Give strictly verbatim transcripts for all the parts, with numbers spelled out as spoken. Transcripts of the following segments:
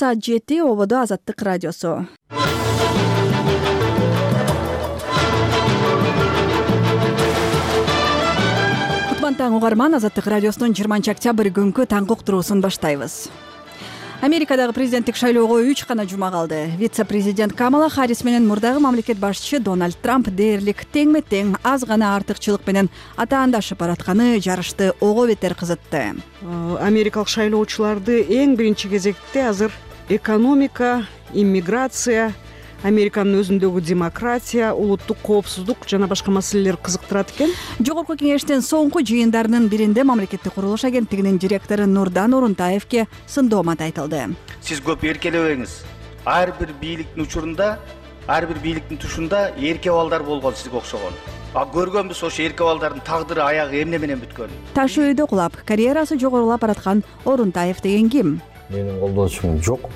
Саат жети ободо Азаттык радиосу. Таң угарман, Азаттык радиосунун жыйырманчы октябрь күнкү таңкы уктуруусун баштайбыз. Америкадагы президенттик шайлоого үч гана жума калды. Вице-президент Камала Харрис менен мурдагы мамлекет башчысы Дональд Трамп дээрлик теңме-тең аз гана артыкчылык менен атаандашып баратканы жарышты ого бетер кызытты. Америкалык шайлоочуларды эң биринчи кезекте азыр экономика, иммиграция, Американын өзүндөгү демократия, улуттук коопсуздук жана башка маселелер кызыктырат экен. Жогорку кеңештин соңку жыйындарынын биринде мамлекеттик курулуш агенттигинин директору Нурдан Орунтаевке сындоомат айтылды. Сиз көп эркелебеңиз. Ар бир бийликтин учурунда, ар бир бийликтин тушунда эрке балдар болгон сизге окшогон. А көргөнбүз ошо эрке балдардын тагдыры аягы эмне менен бүткөнүн. Таш өйдө кулап, карьерасы жогорулап бараткан Орунтаев деген ким? Менин колдоочум жок.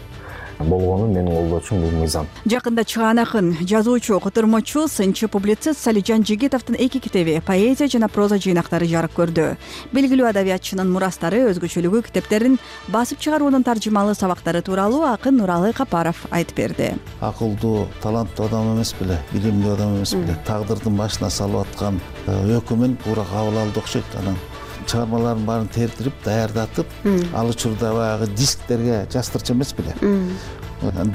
Болгону менин колдоочум бул мыйзам. Жакында чыгаан акын, жазуучу, котормочу, сынчы публицист Салижан Жигитовдун эки китеби, поэзия жана проза жыйнактары жарык көрдү. Белгилүү адабиятчынын мурастары, өзгөчөлүгү китептерин басып чыгаруунун таржымалуу сабактары тууралуу акын Нуралы Капаров айтып берди. Акылдуу, таланттуу адам эмес беле, билимдүү адам эмес беле, тагдырдын башына салып аткан өкүмүн туура кабыл алды окшойт. Анан чыгармаларын баарын тертирип, даярдатып, ал учурда баягы дисктерге жастырчу эмес беле.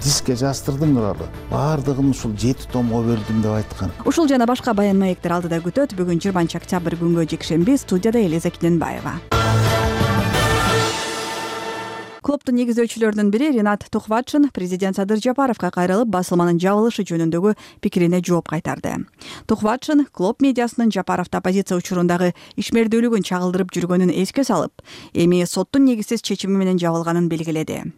Дискке жастырдым Нуралы. Баардыгын ушул жети томго бөлдүм деп айткан. Ушул жана башка баян маектер алдыда күтөт. Бүгүн жыйырманчы октябрь күнгө жекшемби, студияда Элиза Киненбаева. Клубдун негиздөөчүлөрүнүн бири Ринат Тухватшин президент Садыр Жапаровго кайрылып, басылманын жабылышы жөнүндөгү пикирине жооп кайтарды. Тухватшин клуб медиасынын Жапаровду оппозиция учурундагы ишмердүүлүгүн чагылдырып жүргөнүн эске салып, эми соттун негизсиз чечими менен жабылганын белгиледи.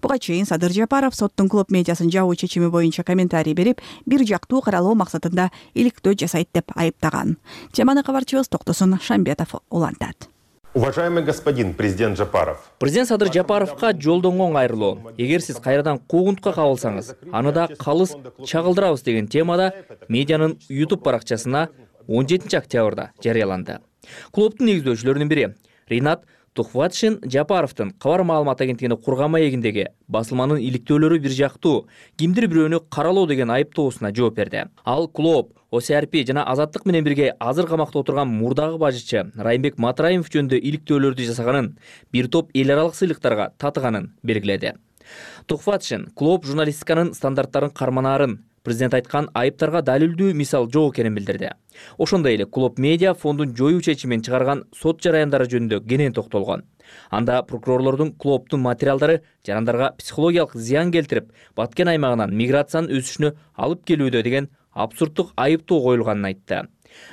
Буга чейин Садыр Жапаров соттун клуб медиасын жабуу чечими боюнча комментарий берип, бир жактуу каралоо максатында иликтөө жасайт деп айыптаган. Теманы кабарчыбыз Токтосун Шамбетов улантат. Уважаемый господин президент Жапаров. Президент Садыр Жапаровка жолдонгон кайрылуу. Эгер сиз кайрадан куугунтукка кабылсаңыз, аны да калыс чагылдырабыз деген темада медианын YouTube баракчасына он жетинчи октябрда жарыяланды. Клубдун негиздөөчүлөрүнүн бири Ринат Тухватшин Жапаровдун Кабар маалымат агенттигине курган маегиндеги басылманын иликтөөлөрү бир жактуу, кимдир бирөөнү каралоо деген айыптоосуна жооп берди. Ал клуб, О С Р П жана Азаттык менен бирге азыр камакта отурган мурдагы бажычы Райымбек Матраимов жөнүндө иликтөөлөрдү жасаганын, бир топ эл аралык сыйлыктарга татыганын белгиледи. Тухватшин клуб журналистиканын стандарттарын карманаарын, президент айткан айыптарга далилдүү мисал жок экенин билдирди. Ошондой эле клуб медиа фондун жоюу чечимин чыгарган сот жараяндары жөнүндө кенен токтолгон. Анда прокурорлордун клубдун материалдары жарандарга психологиялык зыян келтирип, Баткен аймагынан миграциянын өсүшүнө алып келүүдө деген абсурддук айыптоо коюлганын айтты.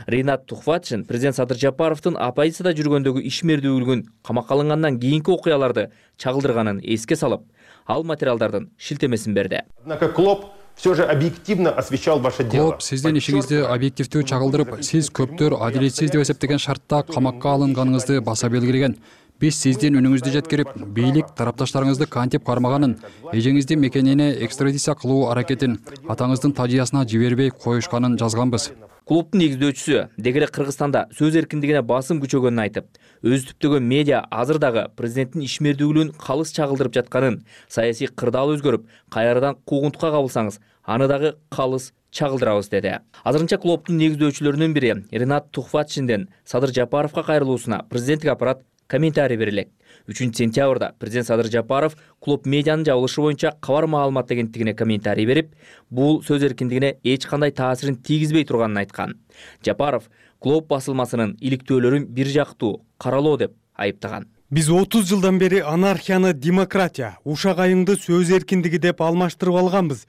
Ринат Тухватшин президент Садыр Жапаровдун оппозицияда жүргөндөгү ишмердүүлүгүн, камакка алынгандан кийинки окуяларды чагылдырганын эске салып, ал материалдардын шилтемесин берди. Однако клуб все же объективно освещал ваше дело. Клуб сиздин ишиңизди объективдүү чагылдырып, сиз көптөр адилетсиз деп эсептеген шартта камакка алынганыңызды баса белгилеген. Биз сиздин үнүңүздү жеткирип, бийлик тарапташтарыңызды кантип кармаганын, эжеңиздин мекенине экстрадиция кылуу аракетин атаңыздын тажыясына жибербей коюшканын жазганбыз. Клубдун негиздөөчүсү дегеле Кыргызстанда сөз эркиндигине басым күчөгөнүн айтып, өзү түптөгөн медиа азыр дагы президенттин ишмердүүлүгүн калыс чагылдырып жатканын, саясий кырдаал өзгөрүп, кайрадан куугунтукка кабылсаңыз, аны дагы калыс чагылдырабыз деди. Азырынча клубдун негиздөөчүлөрүнүн бири Ринат Тухватшинден Садыр Жапаровго кайрылуусуна президенттик аппарат комментарий берилет. үчүнчү сентябрда президент Садыр Жапаров клуб медианын жабылышы боюнча Кабар маалымат агенттигине комментарий берип, бул сөз эркиндигине эч кандай таасирин тийгизбей турганын айткан. Жапаров клуб басылмасынын иликтөөлөрүн бир жактуу каралоо деп айыптаган. Биз отуз жылдан бери анархияны демократия, ушак айыңды сөз эркиндиги деп алмаштырып алганбыз.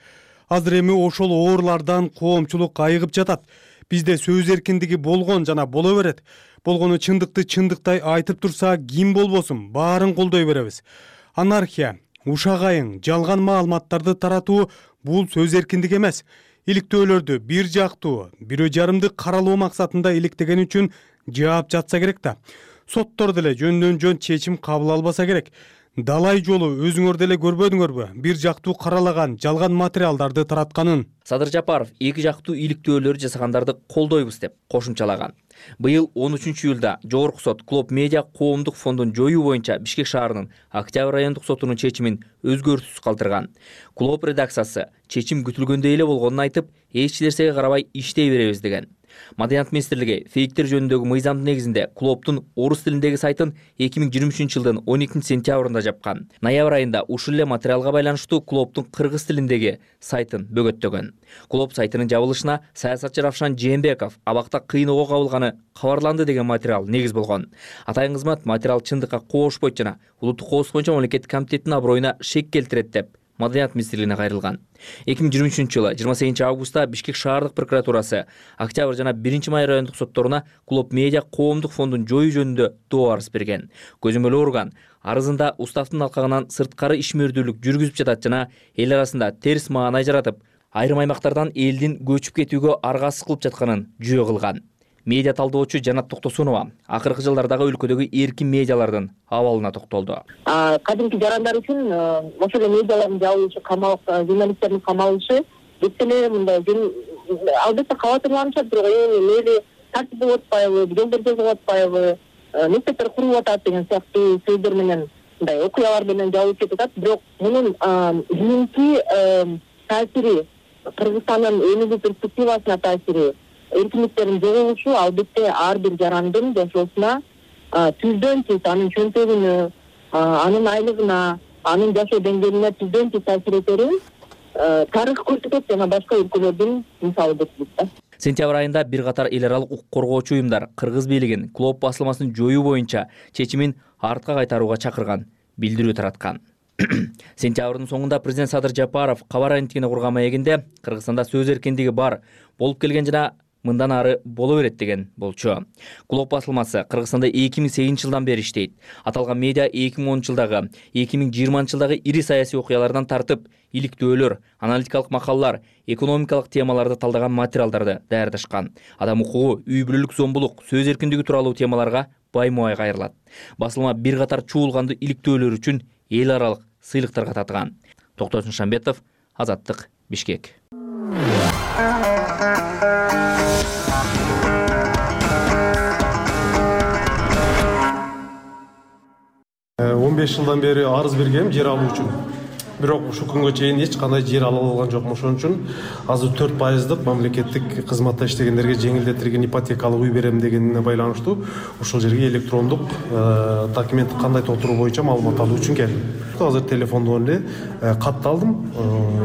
Азыр эми ошол оорлардан коомчулук айыгып жатат. Бизде сөз эркиндиги болгон жана боло берет. Болгону чындыкты чындыктай айтып турса, ким болбосун, баарын колдой беребиз. Анархия, ушак айың, жалган маалыматтарды таратуу бул сөз эркиндиги эмес. Иликтөөлөрдү бир жактуу, бирөө жарымды каралоо максатында иликтеген үчүн жаап жатса керек да. Соттор деле жөндөн жөн чечим кабыл албаса керек. далай жолу өзүңөр деле көрбөдүңөрбү бир жактуу каралаган жалган материалдарды таратканын? Садыр Жапаров эки жактуу иликтөөлөр жасагандарды колдойбуз деп кошумчалаган. Быйыл он үчүнчү июлда Жогорку сот Клоп Медиа коомдук фондун жоюу боюнча Бишкек шаарынын Октябрь райондук сотунун чечимин өзгөртүүсүз калтырган. Клоп редакциясы чечим күтүлгөндөй эле болгонун айтып, эч нерсеге карабай иштей беребиз деген. Маданият министрлиги фейктер жөнүндөгү мыйзамдын негизинде Клоптун орус тилиндеги сайтын эки миң жыйырма үчүнчү жылдын он экинчи сентябрында жапкан. Ноябрь айында ушул эле материалга байланыштуу Клоптун кыргыз тилиндеги сайтын бөгөттөгөн. Клоп сайтынын жабылышына саясатчы Равшан Жээнбеков абакта кыйноого кабылганы кабарланды деген материал негиз болгон. Атайын кызмат материал чындыкка коошпойт жана улуттук коопсуздук боюнча мамлекеттик комитеттин аброюна шек келтирет деп Маданият министрлигине кайрылган. эки миң жыйырма үчүнчү жылы жыйырма сегизинчи августта Бишкек шаардык прокуратурасы Октябрь жана биринчи май райондук сотторуна Клоп Медиа коомдук фондун жоюу жөнүндө доо арыз берген. Көзөмөл орган арызында уставдын алкагынан сырткары ишмердүүлүк жүргүзүп жатат жана эл арасында терс маанай жаратып, айрым аймактардан элдин көчүп кетүүгө аргасыз кылып жатканын жөө кылган. Медиа талдоочу Жанат Токтосунова акыркы жылдардагы өлкөдөгү эркин медиалардын абалына токтолду. Кадимки жарандар үчүн ошол эле медиалардын жабылышы, камалып, журналисттердин камалышы бүт эле мындай албетте кабатырланышат, бирок эми мейли тартип болуп атпайбы, жолдор жазып атпайбы, мектептер куруп атат деген сыяктуу сөздөр менен мындай окуялар менен жабылып кетип атат. Бирок мунун кийинки таасири, Кыргызстандын өнүгүү перспективасына таасири, эркиндиктердин жоголушу албетте ар бир жарандын жашоосуна түздөн түз анын чөнтөгүнө, анын айлыгына, анын жашоо деңгээлине түздөн түз таасир этерин тарых көрсөтөт жана башка өлкөлөрдүн мисалы берилет. Сентябрь айында бир катар эл аралык укук коргоочу уюмдар кыргыз бийлигин Клоп басылмасын жоюу боюнча чечимин артка кайтарууга чакырган, билдирүү тараткан. Сентябрдын соңунда президент Садыр Жапаров кабар агенттигине курган маегинде Кыргызстанда сөз эркиндиги бар, болуп келген жана мындан ары боло берет деген болчу. Клоп басылмасы Кыргызстанда эки миң сегизинчи жылдан бери иштейт. Аталган медиа эки миң онунчу жылдагы, эки миң жыйырманчы жылдагы ири саясий окуялардан тартып, иликтөөлөр, аналитикалык макалалар, экономикалык темаларды талдаган материалдарды даярдашкан. Адам укугу, үй бүлөлүк зомбулук, сөз эркиндиги тууралуу темаларга баймубай кайрылат. Басылма бир катар чуулгандуу иликтөөлөр үчүн эл аралык сыйлыктарга татыган. Токтосун Шамбетов, Азаттык, Бишкек. он беш жылдан бери арыз бергем жер алуу үчүн. Бирок ушул күнгө чейин эч кандай жер ала алган жокмун. Ошон үчүн азыр төрт пайыздык мамлекеттик кызматта иштегендерге жеңилдетилген ипотекалык үй берем дегенине байланыштуу ушул жерге электрондук документ кандай толтуруу боюнча маалымат алуу үчүн келдим. Азыр телефондон эле катты алдым.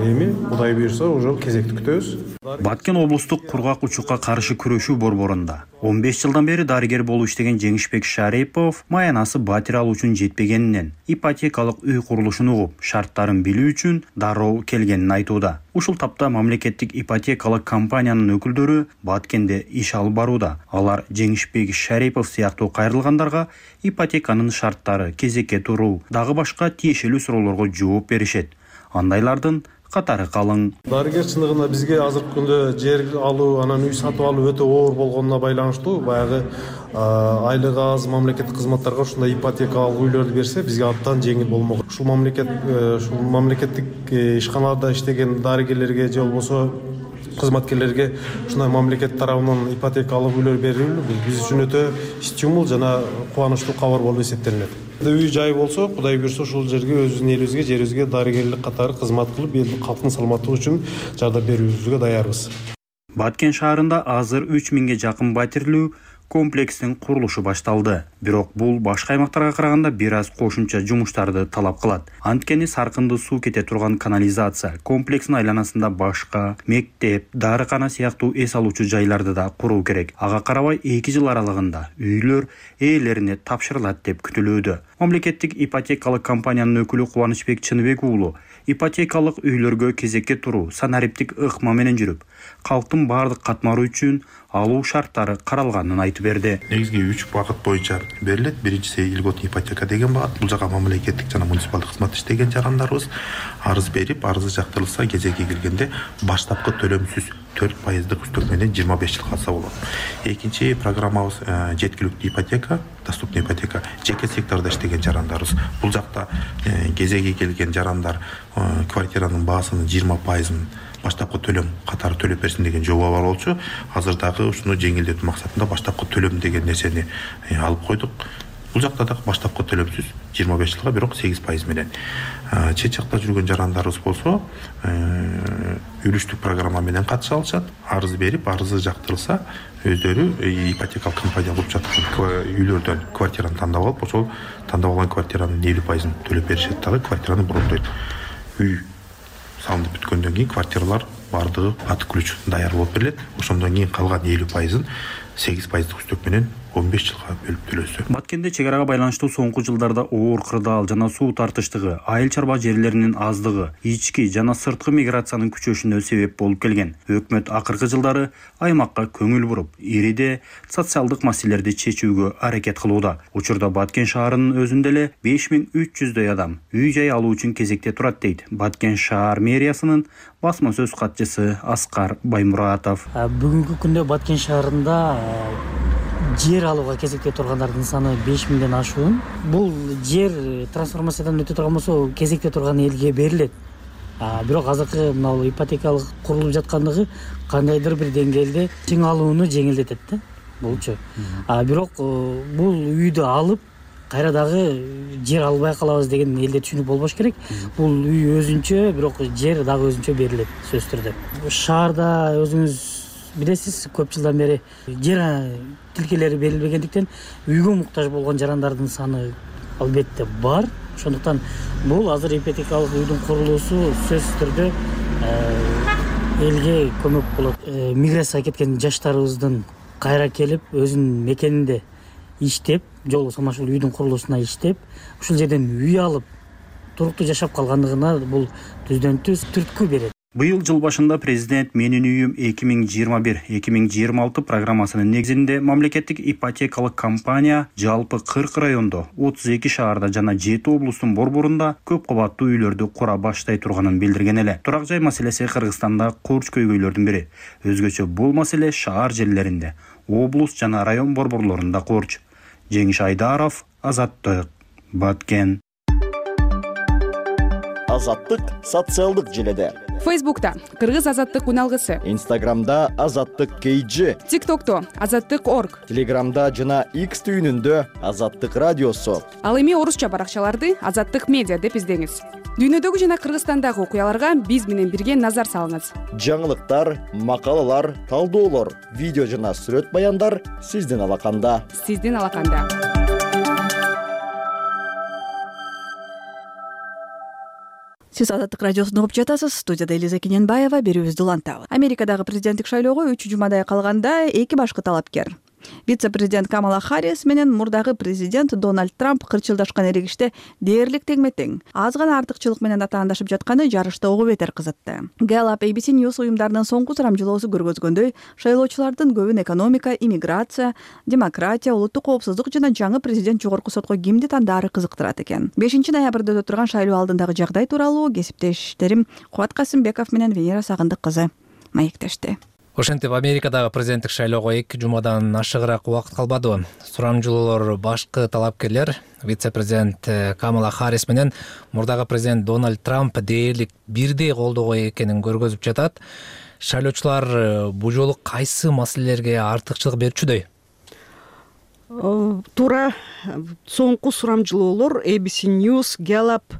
Эми Кудай буйрса уже кезекти күтөбүз. Баткен облустук кургак учукка каршы күрөшүү борборунда он беш жылдан бери дарыгер болуп иштеген Жеңишбек Шарипов маянасы батир алуу үчүн жетпегенинен ипотекалык үй курулушун угуп, шарттарын билүү үчүн дароо келгенин айтууда. Ушул тапта мамлекеттик ипотекалык компаниянын өкүлдөрү Баткенде иш алып барууда. Алар Жеңишбек Шарипов сыяктуу кайрылгандарга ипотеканын шарттары, кезекке туруу, дагы башка тиешелүү суроолорго жооп беришет. Андайлардын катары калың. Дарыгер чындыгында бизге азыркы күндө жер алуу, анан үй сатып алуу өтө оор болгонуна байланыштуу. Баягы айлык аз мамлекеттик кызматтарга ушундай ипотекалык үйлөрдү берсе, бизге абдан жеңил болмок. Ушул мамлекет ушул мамлекеттик ишканаларда иштеген дарыгерлерге же болбосо кызматкерлерге ушундай мамлекет тарабынан ипотекалык үйлөр берилүү биз үчүн өтө стимул жана кубанычтуу кабар болуп эсептелинет. Үй жай болсо, Кудай буйрса ушул жерге өзүбүздүн элибизге, жерибизге дарыгерлик катары кызмат кылып, эл калктын саламаттыгы үчүн жардам берүүбүзгө даярбыз. Баткен шаарында азыр үч миңге жакын батирлүү комплекстин курулушу башталды. Бирок бул башка аймактарга караганда бир аз кошумча жумуштарды талап кылат. Анткени саркынды суу кете турган канализация комплексин айланасында башка мектеп, дарыкана сыяктуу эс алуучу жайларды да куруу керек. Ага карабай эки жыл аралыгында үйлөр ээлерине тапшырылат деп күтүлүүдө. Мамлекеттик ипотекалык компаниянын өкүлү Кубанычбек Чыныбек уулу ипотекалык үйлөргө кезекке туруу санариптик ыкма менен жүрүп, калктын баардык катмары үчүн алуу шарттары каралганын айтып берди. Негизги үч багыт боюнча берилет. Биринчиси льготный ипотека деген багыт. Бул жака мамлекеттик жана муниципалдык кызмат иштеген жарандарыбыз арыз берип, арызы жактырылса кезеги келгенде баштапкы төлөмсүз төрт пайыздык үстөк менен жыйырма беш жыл калса болот. Экинчи программабыз жеткиликтүү ипотека, доступный ипотека жеке сектордо иштеген жарандарыбыз. Бул жакта кезеги келген жарандар квартиранын баасынын жыйырма пайызын баштапкы төлөм катары төлөп берсин деген жоба бар болчу. Азыр дагы ушуну жеңилдетүү максатында баштапкы төлөм деген нерсени алып койдук. Бул жакта да баштапкы төлөмсүз жыйырма беш жылга, бирок сегиз пайыз менен. Чет жакта жүргөн жарандарыбыз болсо, үлүштүк программа менен катыша алышат. Арыз берип, арызы жактырылса, өздөрү ипотекалык компания куруп жаткан үйлөрдөн квартираны тандап алып, ошол тандап алган квартиранын элүү пайызын төлөп беришет дагы, квартираны брондойт. Үй салынып бүткөндөн кийин квартиралар бардыгы ат ключ даяр болуп берилет. Ошондон кийин калган элүү пайызын сегиз пайыздык үстөк менен он беш жылга бөлүп төлөсө. Баткенде чек арага байланыштуу соңку жылдарда оор кырдаал жана суу тартыштыгы, айыл чарба жерлеринин аздыгы, ички жана сырткы миграциянын күчөшүнө себеп болуп келген. Өкмөт акыркы жылдары аймакка көңүл буруп, ириде социалдык маселелерди чечүүгө аракет кылууда. Учурда Баткен шаарынын өзүндө эле беш миң үч жүздөй адам үй жай алуу үчүн кезекте турат дейт Баткен шаар мэриясынын басма сөз катчысы Аскар Баймуратов. Бүгүнкү күндө Баткен шаарында жер алууга кезекте тургандардын саны беш миңден ашуун. Бул жер трансформациядан өтө турган болсо кезекте турган элге берилет. Бирок азыркы мына ипотекалык курулуп жаткандыгы кандайдыр бир деңгээлде чың алууну жеңилдетет да булчу. Бирок бул үйдү алып кайра дагы жер албай калабыз деген элде түшүнүк болбош керек. Бул үй өзүнчө, бирок жер дагы өзүнчө берилет сөзсүз түрдө. Шаарда өзүңүз билесиз, көп жылдан бери жер тилкелери берилбегендиктен үйгө муктаж болгон жарандардын саны албетте бар. Ошондуктан бул азыр ипотекалык үйдүн курулуусу сөзсүз түрдө элге көмөк болот. Миграцияга кеткен жаштарыбыздын кайра келип өзүнүн мекенинде иштеп, жолу самашыл үйдүн курулуусуна иштеп, ушул жерден үй алып туруктуу жашап калгандыгына бул түздөн түз түрткү берет. Быйыл жыл башында президент Менин үйүм эки миң жыйырма бир эки миң жыйырма алты программасынын негизинде мамлекеттик ипотекалык компания жалпы кырк райондо, отуз эки шаарда жана жети облустун борборунда көп кабаттуу үйлөрдү кура баштай турганын билдирген эле. Турак жай маселеси Кыргызстанда курч көйгөйлөрдүн бири. Өзгөчө бул маселе шаар жерлеринде, облус жана район борборлорунда курч. Жеңиш Айдаров, Азаттык, Баткен. Азаттык социалдык желеде. Фейсбукта Кыргыз азаттык уналгысы, Инстаграмда Азаттык кейджи, ТикТокто Азаттык орг, Телеграмда жана X түйүнүндө Азаттык радиосу. Ал эми орусча баракчаларды Азаттык медиа деп издеңиз. Дүйнөдөгү жана Кыргызстандагы окуяларга биз менен бирге назар салыңыз. Жаңылыктар, макалалар, талдоолор, видео жана сүрөт баяндар сиздин алаканда. Сиздин алаканда. Сиз Азаттык радиосун угуп жатасыз. Студияда Элиза Кененбаева, берүүбүздү улантабыз. Америкадагы президенттик шайлоого үч жумадай калганда эки башкы талапкер, вице-президент Камала Харрис менен мурдагы президент Дональд Трамп кырчылдашкан эрегиште дээрлик теңме-тең. Аз гана артыкчылык менен атаандашып жатканы жарышты угу бетер кызытты. Gallup A B C News уюмдарынын соңку сурамжылоосу көргөзгөндөй, шайлоочулардын көбүн экономика, иммиграция, демократия, улуттук коопсуздук жана жаңы президент жогорку сотко кимди тандаары кызыктырат экен. бешинчи ноябрда өтө турган шайлоо алдындагы жагдай тууралуу кесиптештерим Кубат Касымбеков менен Венера Сагындык кызы маектешти. Ошентип Америкадагы президенттик шайлоого эки жумадан ашыгыраак убакыт калбады. Сурамжылоолор башкы талапкерлер вице-президент Камала Харрис менен мурдагы президент Дональд Трамп дээрлик бирдей колдоо экенин көргөзүп жатат. Шайлоочулар бул жолу кайсы маселелерге артыкчылык берчүдөй? Туура соңку сурамжылоолор A B C News, Gallup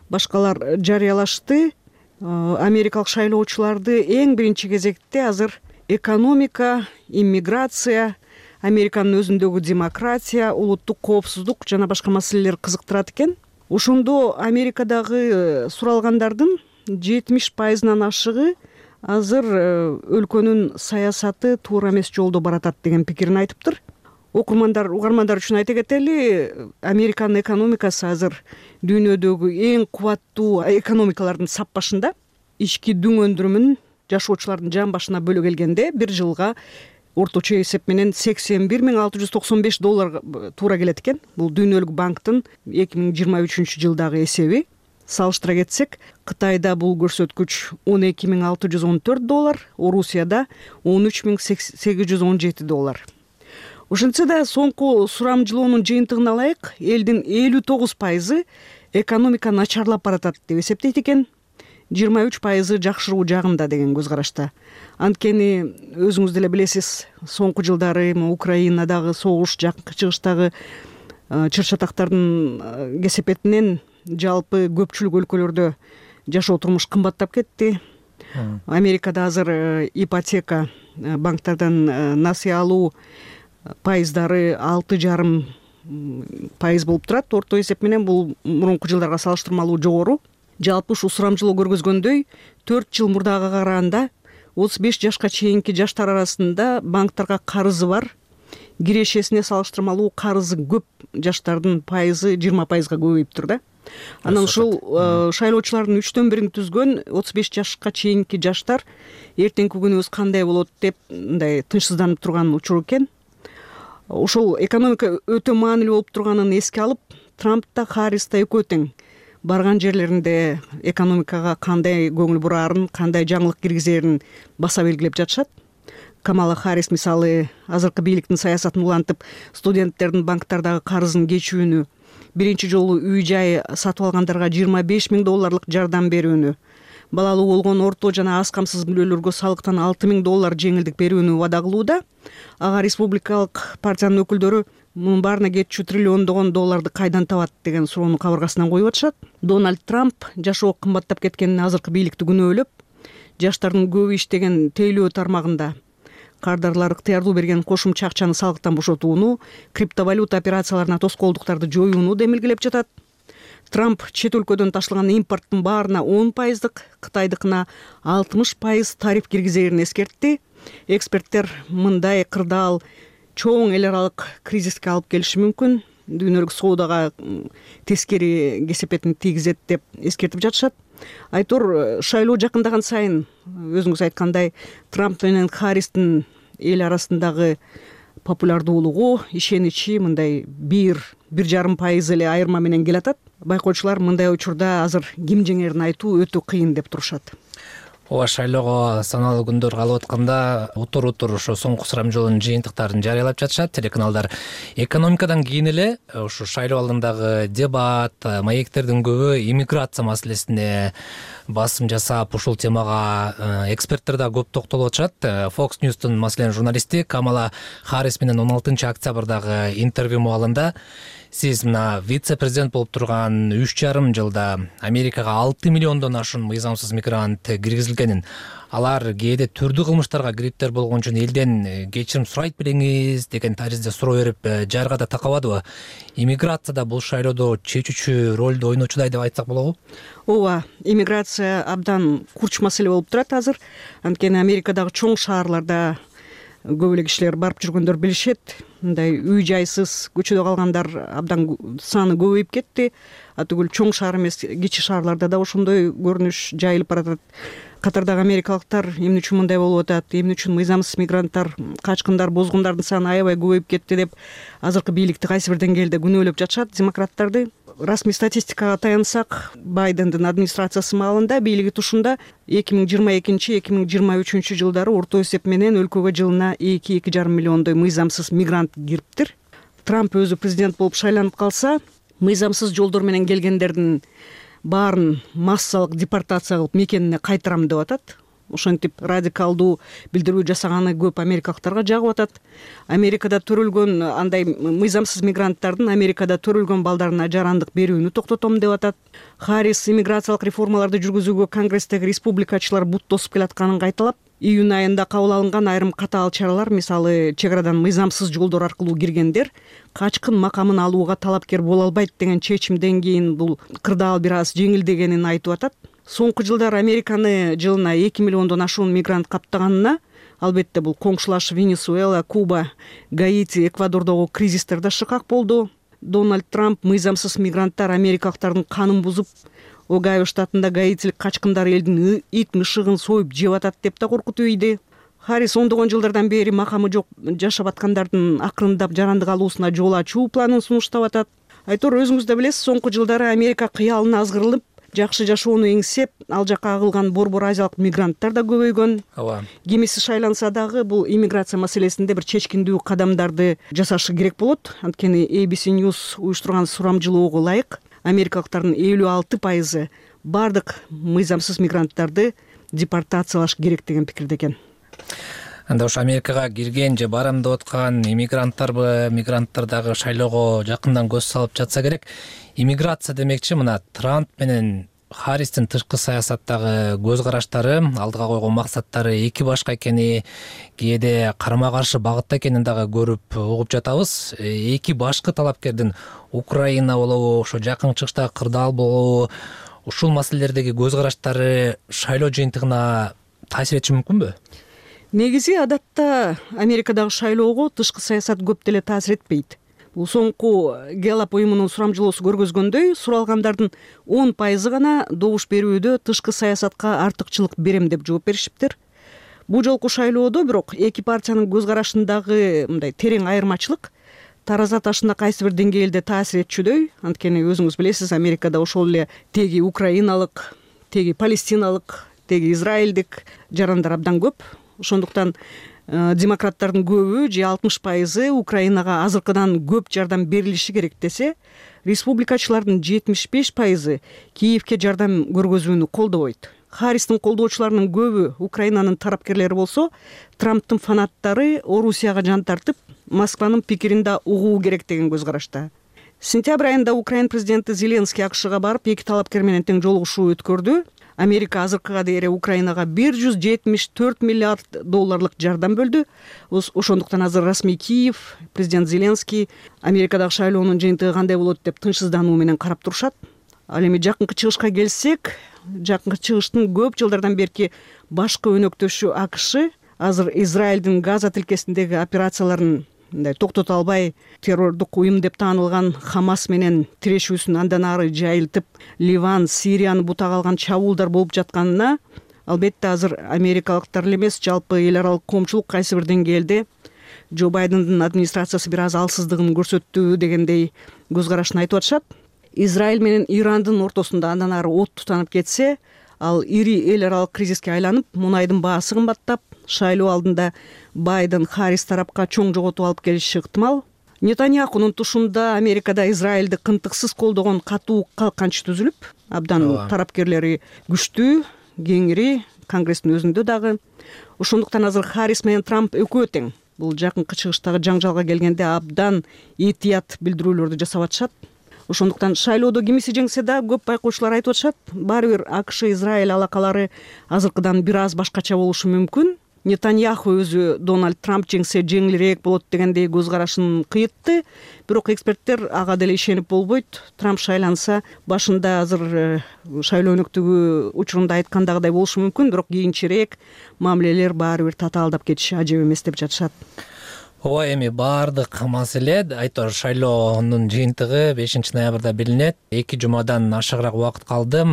башкалар жарыялашты. Америкалык шайлоочуларды эң биринчи кезекте азыр экономика, иммиграция, Американын өзүндөгү демократия, улуттук коопсуздук жана башка маселелер кызыктырат экен. Ошондо Америкадагы суралгандардын жетимиш пайызынан ашыгы азыр өлкөнүн саясаты туура эмес жолдо баратат деген пикирин айтыптыр. Окурмандар, угармандар үчүн айта кетели, Американын экономикасы азыр дүйнөдөгү эң кубаттуу экономикалардын саппашында. Ички дүң өндүрүмүн жашоочулардын жан башына бөлө келгенде бир жылга орточо эсеп менен сексен бир миң алты жүз токсон беш долларга туура келет экен. Бул Дүйнөлүк банктын эки миң жыйырма үчүнчү жылдагы эсеби. Салыштыра кетсек, Кытайда бул көрсөткүч он эки миң алты жүз он төрт доллар, Орусияда он үч миң сегиз жүз он жети доллар. Ошентсе да соңку сурамжылоонун жыйынтыгын алайык, элдин элүү тогуз пайызы экономика начарлап баратат деп эсептейт экен. жыйырма үч пайызы жакшыруу жагында деген көз карашта. Анткени өзүңүз деле билесиз, соңку жылдары Украинадагы согуш, жакынкы чыгыштагы чыр-чатактардын кесепетинен жалпы көпчүлүк өлкөлөрдө жашоо турмуш кымбаттап кетти. Америкада азыр ипотека, банктардан насыя алуу пайыздары алты жарым пайыз болуп турат. Орто эсеп менен бул мурунку жылдарга салыштырмалуу жогору. Жалпы ушу сурамжылоо көргөзгөндөй, төрт жыл мурдага караганда отуз беш жашка чейинки жаштар арасында банктарга карызы бар, кирешесине салыштырмалуу карызы көп жаштардын пайызы жыйырма пайызга көбөйүптүр да. Анан ушул шайлоочулардын үчтөн бирин түзгөн отуз беш жашка чейинки жаштар эртеңки күнүбүз кандай болот деп мындай тынчсызданып турган учур экен. Ушул экономика өтө маанилүү болуп турганын эске алып, Трамп да Харрис да экөө тең барган жерлеринде экономикага кандай көңүл бураарын, кандай жаңылык киргизерин баса белгилеп жатышат. Камала Харрис мисалы азыркы бийликтин саясатын улантып, студенттердин банктардагы карызын кечүүнү, биринчи жолу үй жай сатып алгандарга жыйырма беш миң долларлык жардам берүүнү, балалуу болгон орто жана аз камсыз мүлөлөргө салыктан алты миң доллар жеңилдик берүүнү убада кылууда. Ага республикалык партиянын өкүлдөрү мунун баарына кетчү триллиондогон долларды кайдан табат деген суроону кабыргасынан коюп атышат. Дональд Трамп жашоо кымбаттап кеткенин азыркы бийликти күнөөлөп, жаштардын көбү иштеген тейлөө тармагында кардарлар ыктыярдуу берген кошумча акчаны салыктан бошотууну, криптовалюта операцияларына тоскоолдуктарды жоюуну демилгелеп жатат. Трамп чет өлкөдөн ташылган импорттун баарына он пайыздык, Кытайдыкына алтымыш пайыз тариф киргизерин эскертти. Эксперттер мындай кырдаал чоң эл аралык кризиске алып келиши мүмкүн, дүйнөлүк соодага тескери кесепетин тийгизет деп эскертип жатышат. Айтор шайлоо жакындаган сайын өзүңүз айткандай Трамп менен Харристин эл арасындагы популярдуулугу, ишеничи мындай бир бир жарым пайыз эле айырма менен келатат. Байкоочулар мындай учурда азыр ким жеңерин айтуу өтө кыйын деп турушат. Ооба, шайлоого саналуу күндөр калып атканда утур-утур ошо соңку сурамжылоонун жыйынтыктарын жарыялап жатышат. Телеканалдар экономикадан кийин эле ушу шайлоо алдындагы дебат, маектердин көбү иммиграция маселесине басым жасап, ушул темага эксперттер да көп токтолуп атышат. Fox News'тун маселен журналисти Камала Харрис менен он алтынчы октябрдагы интервью маалында сиз мына вице-президент болуп турган үч жарым жылда Америкага алты миллиондон ашуун мыйзамсыз мигрант киргизилгенин, алар кээде түрдүү кылмыштарга кириптер болгон үчүн элден кечирим сурайт белеңиз деген таризде суроо берип жарга да такабадыбы? Иммиграцияда бул шайлоодо чечүүчү ролду ойночудай деп айтсак болобу? Ооба, иммиграция абдан курч маселе болуп турат азыр. Анткени Америкадагы чоң шаарларда көп эле кишилер барып жүргөндөр билишет. Мындай үй жайсыз көчөдө калгандар абдан саны көбөйүп кетти. Атүгүл чоң шаар эмес, кичи шаарларда да ошондой көрүнүш жайылып баратат. Катардагы америкалыктар эмне үчүн мындай болуп атат, эмне үчүн мыйзамсыз мигранттар, качкындар, бозгундардын саны аябай көбөйүп кетти деп азыркы бийликти кайсы бир деңгээлде күнөөлөп жатышат демократтарды. Расмий статистикага таянсак, Байдендин администрациясы маалында бийлиги тушунда эки миң жыйырма экинчи эки миң жыйырма үчүнчү жылдары орто эсеп менен өлкөгө жылына эки эки жарым миллиондой мыйзамсыз мигрант кириптир. Трамп өзү президент болуп шайланып калса, мыйзамсыз жолдор менен келгендердин баарын массалык депортация кылып мекенине кайтарам деп атат. Ошентип радикалдуу билдирүү жасаганы көп америкалыктарга жагып атат. Америкада төрөлгөн андай мыйзамсыз мигранттардын Америкада төрөлгөн балдарына жарандык берүүнү токтотом деп атат. Харрис иммиграциялык реформаларды жүргүзүүгө Конгресстеги республикачылар бут тосуп келатканын кайталап, июнь айында кабыл алынган айрым катаал чаралар, мисалы чек арадан мыйзамсыз жолдор аркылуу киргендер качкын макамын алууга талапкер боло албайт деген чечимден кийин бул кырдаал бир аз жеңилдегенин айтып атат. Соңку жылдары Американы жылына эки миллиондон ашуун мигрант каптаганына, албетте бул коңшулаш Венесуэла, Куба, Гаити, Эквадордогу кризистер да шыкак болду. Дональд Трамп мыйзамсыз мигранттар америкалыктардын канын бузуп, Огайо штатында гаитилик качкындар элдин ит мышыгын союп жеп атат деп да коркутуп ийди. Харрис ондогон жылдардан бери макамы жок жашап аткандардын акырындап жарандык алуусуна жол ачуу планын сунуштап атат. Айтор, өзүңүз да билесиз, соңку жылдары Америка кыялына азгырылып, жакшы жашоону эңсеп, ал жака агылган борбор азиялык мигранттар да көбөйгөн. Ооба. Кимиси шайланса дагы бул иммиграция маселесинде бир чечкиндүү кадамдарды жасашы керек болот. Анткени A B C News уюштурган сурамжылоого ылайык америкалыктардын элүү алты пайызы бардык мыйзамсыз мигранттарды депортациялаш керек деген пикирде экен. Анда ушу Америкага кирген же барам деп аткан иммигранттарбы, мигранттар дагы шайлоого жакындан көз салып жатса керек. Иммиграция демекчи мына Трамп менен Харристин тышкы саясаттагы көз караштары, алдыга койгон максаттары эки башка экени, кээде карама каршы багытта экенин дагы көрүп угуп жатабыз. Эки башкы талапкердин Украина болобу, ошо жакын чыгыштагы кырдаал болобу, ушул маселелердеги көз караштары шайлоо жыйынтыгына таасир этиши мүмкүнбү? Негизи адатта Америкадагы шайлоого тышкы саясат көп деле таасир этпейт. Бул соңку Gallup уюмунун сурамжылоосу көргөзгөндөй, суралгандардын он пайызы гана добуш берүүдө тышкы саясатка артыкчылык берем деп жооп беришиптир. Бул жолку шайлоодо бирок эки партиянын көз карашындагы мындай терең айырмачылык тараза ташына кайсы бир деңгээлде таасир этчүдөй. Анткени өзүңүз билесиз, Америкада ошол эле теги украиналык, теги палестиналык, теги израилдик жарандар абдан көп. Ошондуктан демократтардын көбү же алтымыш пайызы Украинага азыркыдан көп жардам берилиши керек десе, республикачылардын жетимиш беш пайызы Киевке жардам көргөзүүнү колдобойт. Харристин колдоочуларынын көбү Украинанын тарапкерлери болсо, Трамптын фанаттары Орусияга жан тартып, Москванын пикирин да угуу керек деген көз карашта. Сентябрь айында Украин президенти Зеленский АКШга барып, эки талапкер менен тең жолугушуу өткөрдү. Америка азыркыга дейре Украинага бир жүз жетимиш төрт миллиард долларлык жардам бөлдү. Ошондуктан азыр расмий Киев, президент Зеленский Америкадагы шайлоонун жыйынтыгы кандай болот деп тынчсыздануу менен карап турушат. Ал эми жакынкы чыгышка келсек, жакынкы чыгыштын көп жылдардан берки башкы өнөктөшү АКШ азыр Израилдин Газа тилкесиндеги операцияларын мындай токтото албай, террордук уюм деп таанылган Хамас менен тирешүүсүн андан ары жайылтып, Ливан, Сирияны бутага алган чабуулдар болуп жатканына, албетте азыр америкалыктар эле эмес, жалпы эл аралык коомчулук кайсы бир деңгээлде Джо Байдендин администрациясы бир аз алсыздыгын көрсөттү дегендей көз карашын айтып атышат. Израиль менен Ирандын ортосунда андан ары от тутанып кетсе, ал ири эл аралык кризиске айланып, мунайдын баасы кымбаттап, шайлоо алдында Байден Харрис тарапка чоң жоготуп алып келиши ыктымал. Нетаньяхунун тушунда Америкада Израилди кынтыксыз колдогон катуу калканч түзүлүп, абдан тарапкерлери күчтүү, кеңири, Конгресстин өзүндө дагы. Ошондуктан азыр Харрис менен Трамп экөө тең. Бул жакынкы чыгыштагы жаңжалга келгенде абдан этият билдирүүлөрдү жасап атышат. Ошондуктан шайлоодо кимиси жеңсе да, көп байкоочулар айтып атышат, баары бир АКШ Израиль алакалары азыркыдан бир аз башкача болушу мүмкүн. Нетаньяху өзү Дональд Трамп жеңсе жеңилирээк болот дегендей көз карашын кыйытты. Бирок эксперттер ага деле ишенип болбойт. Трамп шайланса, башында азыр шайлоо өнөктүгү учурунда айткандагыдай болушу мүмкүн, бирок кийинчерээк мамилелер баары бир татаалдап кетиши ажеп эмес деп жатышат. Ооба, эми баардык маселе айтор шайлоонун жыйынтыгы бешинчи ноябрда белинет. Эки жумадан ашыгыраак убакыт калды.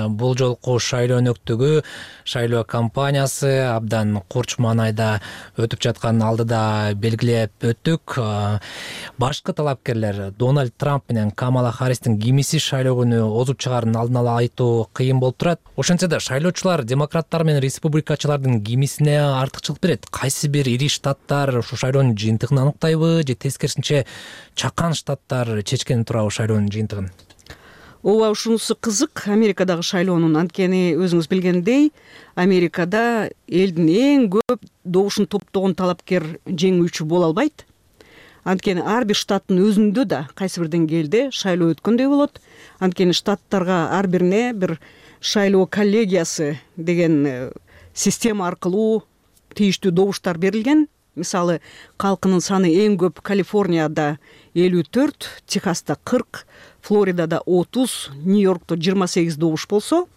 Бул жолку шайлоо өнөктүгү, шайлоо кампаниясы абдан курч маанайда өтүп жатканын алдыда белгилеп өттүк. Башкы талапкерлер Дональд Трамп менен Камала Харристин кимиси шайлоо күнү озуп чыгарын алдын ала айтуу кыйын болуп турат. Ошентсе да шайлоочулар демократтар менен республикачылардын кимисине артыкчылык берет. Кайсы бир ири штаттар ушу шайлоонун жыйынтыгын аныктайбы же тескерисинче чакан штаттар чечкени турабы шайлоонун жыйынтыгын? Ооба, ушунусу кызык Америкадагы шайлоонун. Анткени өзүңүз билгендей, Америкада элдин эң көп добушун топтогон талапкер жеңүүчү боло албайт. Анткени ар бир штаттын өзүндө да кайсы бир деңгээлде шайлоо өткөндөй болот. Анткени штаттарга ар бирине бир шайлоо коллегиясы деген система аркылуу тийиштүү добуштар берилген. Мисалы, калкынын саны эң көп Калифорнияда элүү төрт, Техаста кырк, Флоридада отуз, Нью-Йоркто жыйырма сегиз добуш болсо,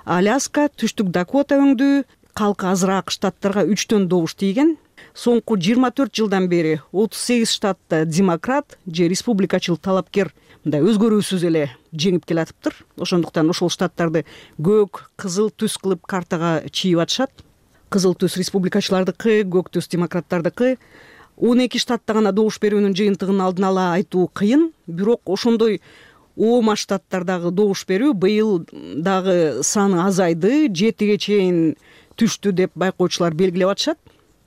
Аляска, Түштүк Дакота өңдүү калкы азыраак штаттарга үчтөн добуш тийген. Соңку жыйырма төрт жылдан бери отуз сегиз штатта демократ же республикачыл талапкер мындай өзгөрүүсүз эле жеңип келатыптыр. Ошондуктан ошол штаттарды көк, кызыл түс кылып картага чийип атышат. кызыл түс республикачылардыкы, көк түс демократтардыкы. он эки штатта гана добуш берүүнүн жыйынтыгын алдын ала айтуу кыйын, бирок ошондой оома штаттардагы добуш берүү быйыл дагы саны азайды, жетиге чейин түштү деп байкоочулар белгилеп атышат.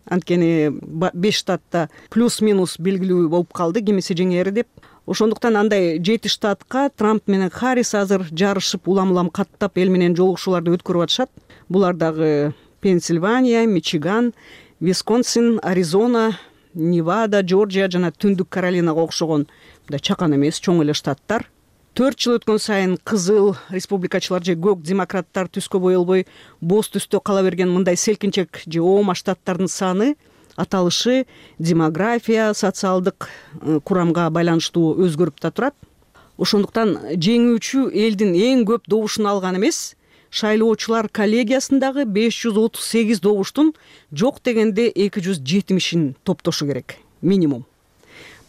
Анткени беш штатта плюс-минус белгилүү болуп калды, кимиси жеңери деп. Ошондуктан андай жети штатка Трамп менен Харрис азыр жарышып, улам-улам каттап эл менен жолугушууларды өткөрүп атышат. Булар дагы Пенсильвания, Мичиган, Висконсин, Аризона, Невада, Джорджия жана Түндүк Каролинага окшогон мындай чакан эмес, чоң эле штаттар. төрт жыл өткөн сайын кызыл республикачылар же көк демократтар түскө боелбой боз түстө кала берген мындай селкинчек же оома штаттардын саны, аталышы демография, социалдык курамга байланыштуу өзгөрүп да турат. Ошондуктан жеңүүчү элдин эң көп добушун алган эмес, шайлоочулар коллегиясындагы беш жүз отуз сегиз добуштун жок дегенде эки жүз жетимишин топтошу керек, минимум.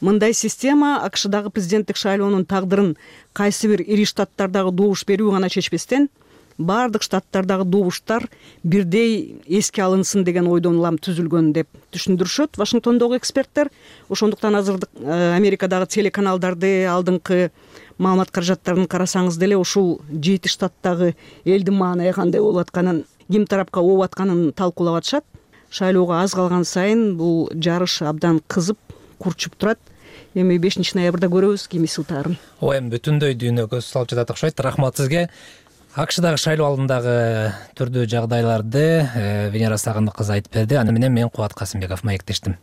Мындай система АКШдагы президенттик шайлоонун тагдырын кайсы бир ири штаттардагы добуш берүү гана чечпестен, баардык штаттардагы добуштар бирдей эске алынсын деген ойдон улам түзүлгөн деп түшүндүрүшөт Вашингтондогу эксперттер. Ошондуктан азыр Америкадагы телеканалдарды, алдыңкы маалымат каражаттарын карасаңыз деле ушул жети штаттагы элдин маанайы кандай болуп атканын, ким тарапка ооп атканын талкуулап атышат. Шайлоого аз калган сайын бул жарыш абдан кызып, курчуп турат. Эми бешинчи ноябрда көрөбүз кимиси утаарын. Оо эми бүтүндөй дүйнө көз салып жатат окшойт. Рахмат сизге. АКШдагы шайлоо алдындагы түрдүү жагдайларды Венера Сагындык кызы айтып берди. Аны менен мен Кубат Касымбеков маектештим.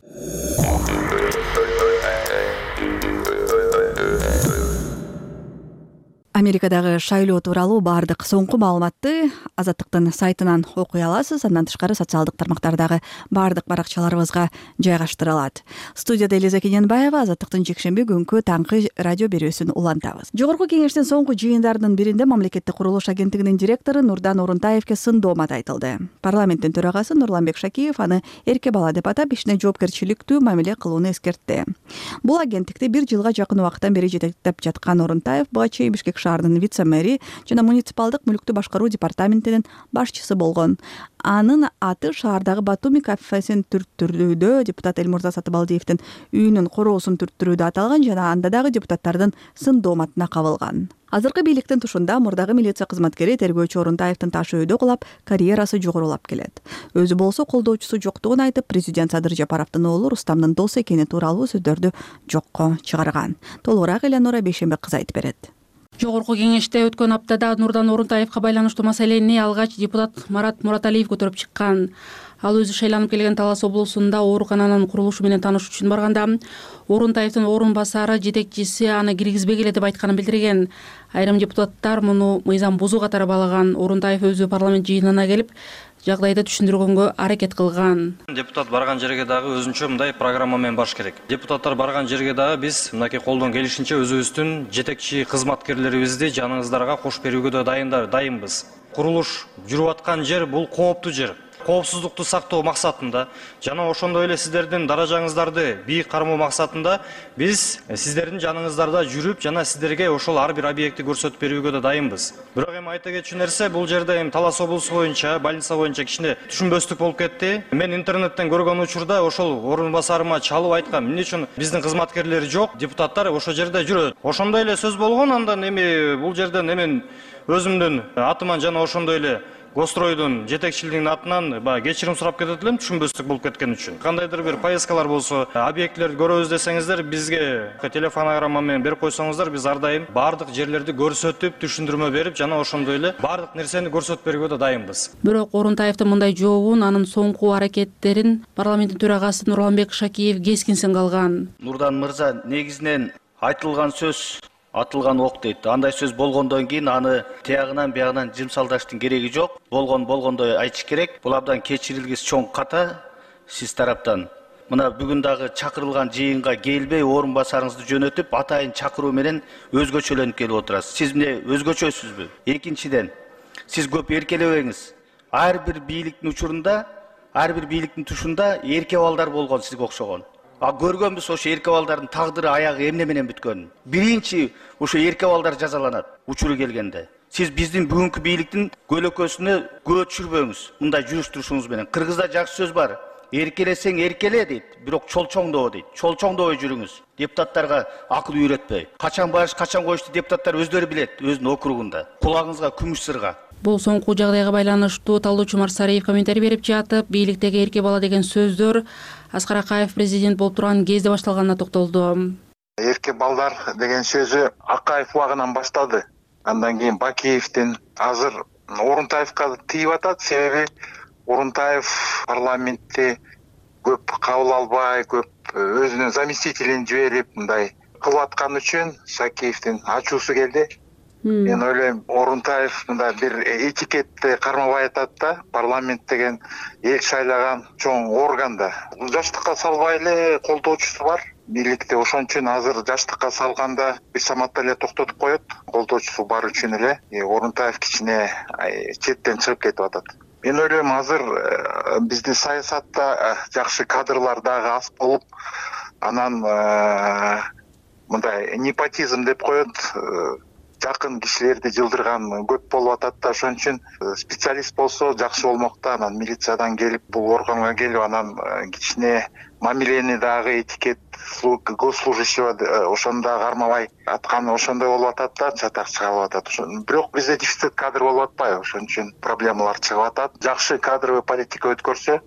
Америкадагы шайлоо тууралуу баардык соңку маалыматты Азаттыктын сайтынан окуй аласыз. Андан тышкары социалдык тармактардагы баардык баракчаларыбызга жайгаштырылат. Студияда Элиза Кененбаева, Азаттыктын жекшемби күнкү таңкы радио берүүсүн улантабыз. Жогорку кеңештин соңку жыйындарынын биринде мамлекеттик курулуш агенттигинин директору Нурдан Орунтаевке сындоомат айтылды. Парламенттин төрагасы Нурланбек Шакиев аны эрке бала деп атап, ишине жоопкерчиликтүү мамиле кылууну эскертти. Бул агенттикти бир жылга жакын убакыттан бери жетектеп жаткан Орунтаев буга чейин Бишкек шаарынын вице-мэри жана муниципалдык мүлктү башкаруу департаментинин башчысы болгон. Анын аты шаардагы Батуми кафесин түрттүрүүдө, депутат Элмурза Сатыбалдиевдин үйүнүн короосун түрттүрүүдө аталган жана анда дагы депутаттардын сындооматына кабылган. Азыркы бийликтин тушунда мурдагы милиция кызматкери тергөөчү Орунтаевдин ташы өйдө кулап, карьерасы жогорулап келет. Өзү болсо колдоочусу жоктугун айтып, президент Садыр Жапаровдун уулу Рустамдын досу экени тууралуу сөздөрдү жокко чыгарган. Толугураак Элеонора Бейшембек кызы айтып берет. Жогорку кеңеште өткөн аптада Нурдан Орунтаевга байланыштуу маселени алгач депутат Марат Мураталиев көтөрүп чыккан. Ал өзү шайланып келген Талас облусунда оорукананын курулушу менен таанышуу үчүн барганда Орунтаевдин орун басары жетекчиси аны киргизбегиле деп айтканын билдирген. Айрым депутаттар муну мыйзам бузуу катары баалаган. Орунтаев өзү парламент жыйынына келип жагдайды түшүндүргөнгө аракет кылган. Депутат барган жерге дагы өзүнчө мындай программа менен баш керек. Депутаттар барган жерге дагы биз мынакей колдон келишинче өзүбүздүн жетекчи кызматкерлерибизди жаныңыздарга кош берүүгө да дайындар, дайынбыз. Курулуш жүрүп аткан жер бул кооптуу жер. Коопсуздукту сактоо максатында жана ошондой эле сиздердин даражаңыздарды бийик кармоо максатында биз сиздердин жаныңыздарда жүрүп жана сиздерге ошол ар бир объектти көрсөтүп берүүгө да дайынбыз. Бирок эми айта кетчү нерсе, бул жерде эми Талас облусу боюнча, больница боюнча кичине түшүнбөстүк болуп кетти. Мен интернеттен көргөн учурда ошол орун басарыма чалып айткам, эмне үчүн биздин кызматкерлер жок, депутаттар ошол жерде жүрөт. Ошондой эле сөз болгон, андан эми бул жерден эми өзүмдүн атыман жана ошондой эле Гостройдун жетекчилигинин атынан кечирим сурап кетет элем, түшүнбөстүк болуп кеткен үчүн. Кандайдыр бир поездкалар болсо, объектлерди көрөбүз десеңиздер, бизге телефонограмма менен берип койсоңуздар, биз ар дайым баардык жерлерди көрсөтүп, түшүндүрмө берип жана ошондой эле баардык нерсени көрсөтүп берүүгө да дайынбыз. Бирок Орунтаевдин мындай жообун, анын соңку аракеттерин парламенттин төрагасы Нурланбек Шакиев кескинсен калган. Нурдан мырза, негизинен айтылган сөз атылган ок дейт. Андай сөз болгондон кийин аны тиягынан биягынан жымсалдаштын кереги жок. Болгон болгондой айтыш керек. Бул абдан кечирилгис чоң ката сиз тараптан. Мына бүгүн дагы чакырылган жыйынга келбей, орун басарыңызды жөнөтүп, атайын чакыруу менен өзгөчөлөнүп келип отурасыз. Сиз эмне өзгөчөсүзбү? Экинчиден, сиз көп эркелебеңиз. Ар бир бийликтин учурунда, ар бир бийликтин тушунда эрке балдар болгон сизге окшогон. А көргөнбүз ошо эрке балдардын тагдыры аягы эмне менен бүткөнүн. Биринчи ошо эрке балдар жазаланат учуру келгенде. Сиз биздин бүгүнкү бийликтин көлөкөсүнө көө түшүрбөңүз. Мындай жүрүш-турушуңуз менен. Кыргызда жакшы сөз бар. Эркелесең эркеле дейт, бирок чолчоңдоо дейт. Чолчоңдобой жүрүңүз. Депутаттарга акыл үйрөтпөй. Качан барыш, качан коюшту депутаттар өздөрү билет, өзүнүн округунда. Кулагыңызга күмүш сырга. Бул соңку жагдайга байланыштуу талдоочу Марсариев комментарий берип жатып, бийликтеги эрке бала деген сөздөр Аскар Акаев президент болуп турган кезде башталганына токтолду. Эрке балдар деген сөзү Акаев убагынан башталды. Андан кийин Бакиевдин, азыр Орунтаевка тийип атат. Себеби Орунтаев парламентте көп кабыл албай, көп өзүнүн заместителин жиберип, мындай кылып аткан үчүн Сакеевдин ачуусу келди. Мен ойлойм, Орунтаев мындай бир этикетти кармабай атат да, парламент деген эл шайлаган чоң органда. Жаштыкка салбай эле колдоочусу бар. Бийликте ошон үчүн азыр жаштыкка салганда бир саматта эле токтотуп коет. Колдоочусу бар үчүн эле Орунтаев кичине четтен чыгып кетип атат. Мен ойлойм, азыр биздин саясатта жакшы кадрлар дагы аз болуп, анан мындай непотизм деп коет, жакын кишилерди жылдырган көп болуп атат да, ошон үчүн специалист болсо жакшы болмок да. Анан милициядан келип, бул органга келип, анан кичине мамилени дагы этикет госслужащий ошондо кармабай атканы ошондой болуп атат да, чатак чыгып атат. Бирок бизде дефицит кадр болуп атпайбы, ошон үчүн проблемалар чыгып атат. Жакшы кадровый политика өткөрсө,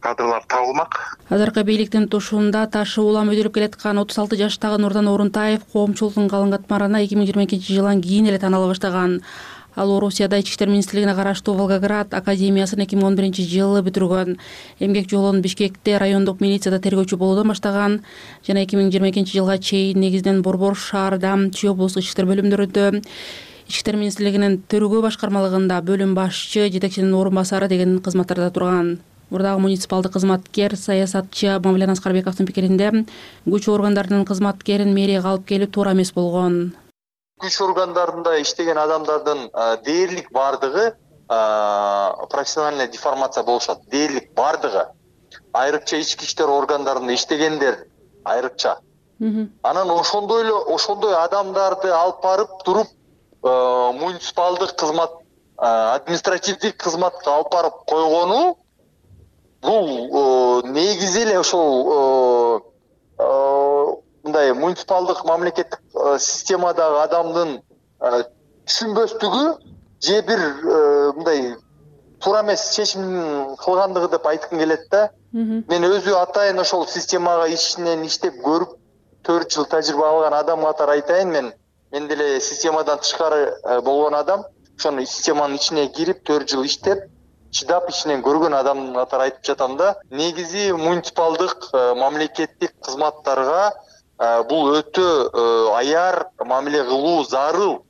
кадрлар табылмак. Азыркы бийликтин тушунда ташы улам өйдөлүп келаткан отуз алты жаштагы Нурдан Орунтаев коомчулуктун калың катмарына эки миң жыйырма экинчи жылдан кийин эле таныла баштаган. Ал Орусияда Ички иштер министрлигине караштуу Волгоград академиясын эки миң он биринчи жылы бүтүргөн. Эмгек жолун Бишкекте райондук милицияда тергөөчү болуудан баштаган жана эки миң жыйырма экинчи жылга чейин негизинен Борбор шаарда, Чүй облустук ички иштер бөлүмдөрүндө, Ички иштер министрлигинин тергөө башкармалыгында бөлүм башчы, жетекчинин орун басары деген кызматтарда турган. Мурдагы муниципалдык кызматкер, саясатчы Мавлен Аскарбековдун пикиринде, күч органдарынын кызматкерин мэрияга алып келип туура эмес болгон. Күч органдарында иштеген адамдардын дээрлик бардыгы профессиональная деформация болушат. Дээрлик бардыгы. Айрыкча ички иштер органдарында иштегендер айрыкча. Анан ошондой эле ошондой адамдарды алып барып туруп муниципалдык кызмат, административдик кызматка алып барып койгону бул негизи эле ошол мындай муниципалдык мамлекеттик системадагы адамдын түшүнбөстүгү же бир мындай туура эмес чечим кылгандыгы деп айткым келет да. Мен өзү атайын ошол системага ичинен иштеп көрүп төрт жыл тажрыйба алган адам катары айтайын, мен мен деле системадан тышкары болгон адам, ошону системанын ичине кирип төрт жыл иштеп чыдап ичинен көргөн адам катары айтып жатам да. Негизи муниципалдык мамлекеттик кызматтарга бул өтө аяр мамиле кылуу зарыл.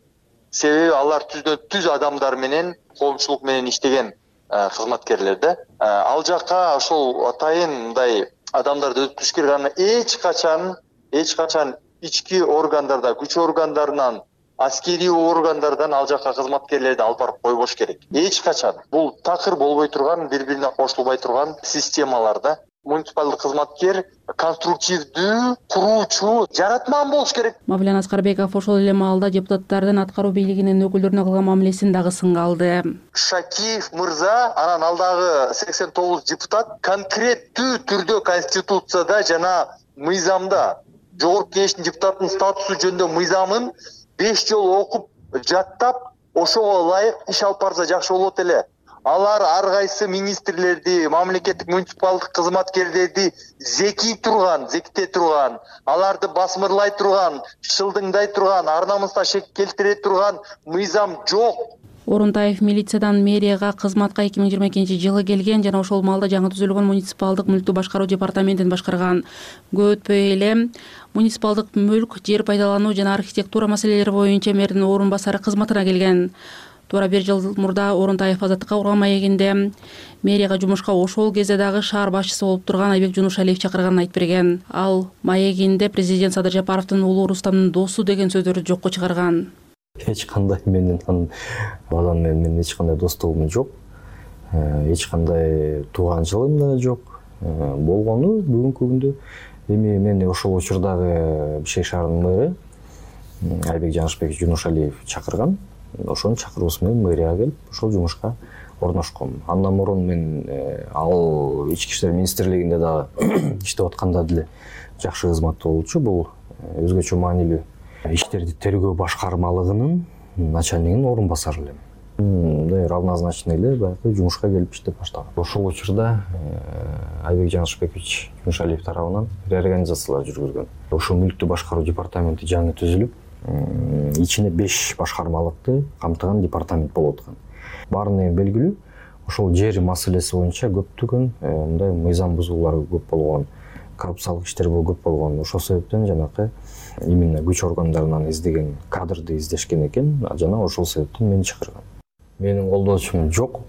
Себеби алар түздөн түз адамдар менен, коомчулук менен иштеген кызматкерлер да. Ал жакка ошол атайын мындай адамдарды өтүп керек. Эч качан, эч качан ички органдарда, күч органдарынан, аскерий органдардан ал жакка кызматкерлерди алып барып койбош керек. Эч качан. Бул такыр болбой турган, бири-бирине кошулбай турган системалар да. Муниципалдык кызматкер конструктивдүү, куруучу, жаратман болуш керек. Мавлен Аскарбеков ошол эле маалда депутаттардын аткаруу бийлигинин өкүлдөрүнө кылган мамилесин дагы сынга алды. Шакиев мырза, анан алдагы сексен тогуз депутат конкреттүү түрдө конституцияда жана мыйзамда, жогорку кеңештин депутатынын статусу жөнүндө мыйзамын беш жолу окуп, жаттап, ошого ылайык иш алып барса жакшы болот эле. Алар ар кайсы министрлерди, мамлекеттик муниципалдык кызматкерлерди зекий турган, зектете турган, аларды басмырлай турган, шылдыңдай турган, ар намысына шек келтире турган мыйзам жок. Орунтаев милициядан мэрияга кызматка эки миң жыйырма экинчи жылы келген жана ошол маалда жаңы түзүлгөн муниципалдык мүлктү башкаруу департаментин башкарган. Көп өтпөй эле муниципалдык мүлк, жер пайдалануу жана архитектура маселелери боюнча мэрдин орун басары кызматына келген. Туура бир жыл мурда Орунтаев азаттыкка курган маегинде мэрияга жумушка ошол кезде дагы шаар башчысы болуп турган Айбек Жунушалиев чакырганын айтып берген. Ал маегинде президент Садыр Жапаровдун уулу Рустамдын досу деген сөздөрдү жокко чыгарган. Эч кандай менен анын балам менен эч кандай достугум жок. Эч кандай тууганчылыгым да жок. Болгону бүгүнкү күндө эми мени ошол учурдагы Бишкек шаарынын мэрі Айбек Жаңышбек Жунушалиев чакырган. ошонун чакыруусу менен мэрияга келип ошол жумушка орношком. Андан мурун мен ал ички иштер министрлигинде дагы иштеп атканда деле жакшы кызмат болчу. Бул өзгөчө маанилүү иштерди тергөө башкармалыгынын начальнигинин орун басары элем. Мындай равнозначный эле баягы жумушка келип иштеп баштагам. Ошол учурда Айбек Жаңышбекович Жумшалиев тарабынан реорганизациялар жүргүзгөн. Ошо мүлктү башкаруу департаменти жаңы түзүлүп, ичине беш башкармалыкты камтыган департамент болуп аткан. Баарына эми белгилүү, ошол жер маселеси боюнча көптөгөн мындай мыйзам бузуулар көп болгон, коррупциялык иштер көп болгон. Ошол себептен жанакы именно күч органдарынан издеген кадрды издешкен экен, жана ошол себептен мени чакырган. Менин колдоочум жок,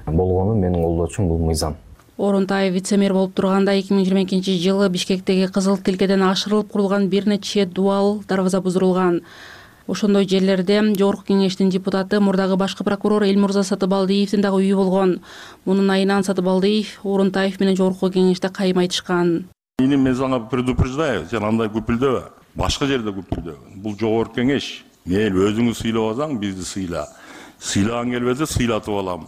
болгону менин колдоочум бул мыйзам. Орунтаев вице-мэр болуп турганда эки миң жыйырма экинчи жылы Бишкектеги Кызыл Тилкеден ашырылып курулган бир нече дуал дарбаза бузурулган. Ошондой жерлерде Жогорку Кеңештин депутаты, мурдагы башкы прокурор Элмурза Сатыбалдиевдин дагы үйү болгон. Мунун айынан Сатыбалдиев Орунтаев менен Жогорку Кеңеште кайым айтышкан. Мен сага предупреждаю, сен андай көпүлдөбө. Башка жерде көпүлдөбө. Бул Жогорку Кеңеш. Мен өзүңү сыйлабасаң, бизди сыйла. Сыйлаган келбесе сыйлатып алам.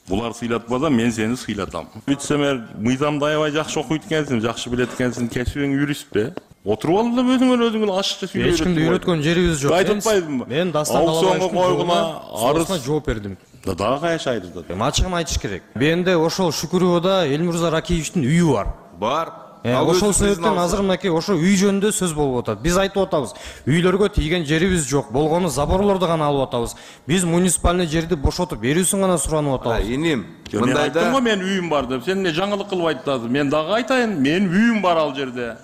Булар сыйлатпаса мен сени сыйлатам. Вице-мэр мыйзамды аябай жакшы окуйт экенсиң, жакшы билет экенсиң, кесибиң юрист бе? Отуруп ал да өзүңөр өзүңөр ашыкча сүйлөп. Эч кимди үйрөткөн жерибиз жок. Айтпайдымбы? Мен Дастан койгуна арызына жооп бердим. Да дагы каяш айрылды. Ачыгын айтыш керек. Менде ошол Шүкүрөбөдө Элмурза Ракиевичтин үйү бар. Бар. Ошол себептен азыр мынакей ошо үй жөнүндө сөз болуп атат. Биз айтып атабыз, үйлөргө тийген жерибиз жок, болгону заборлорду гана алып атабыз. Биз муниципальный жерди бошотуп берүүсүн гана суранып атабыз. Иним, мындайда мен үйүм бар деп, сен эмне жаңылык кылып айтасың? Мен дагы айтайын, менин үйүм бар ал жерде.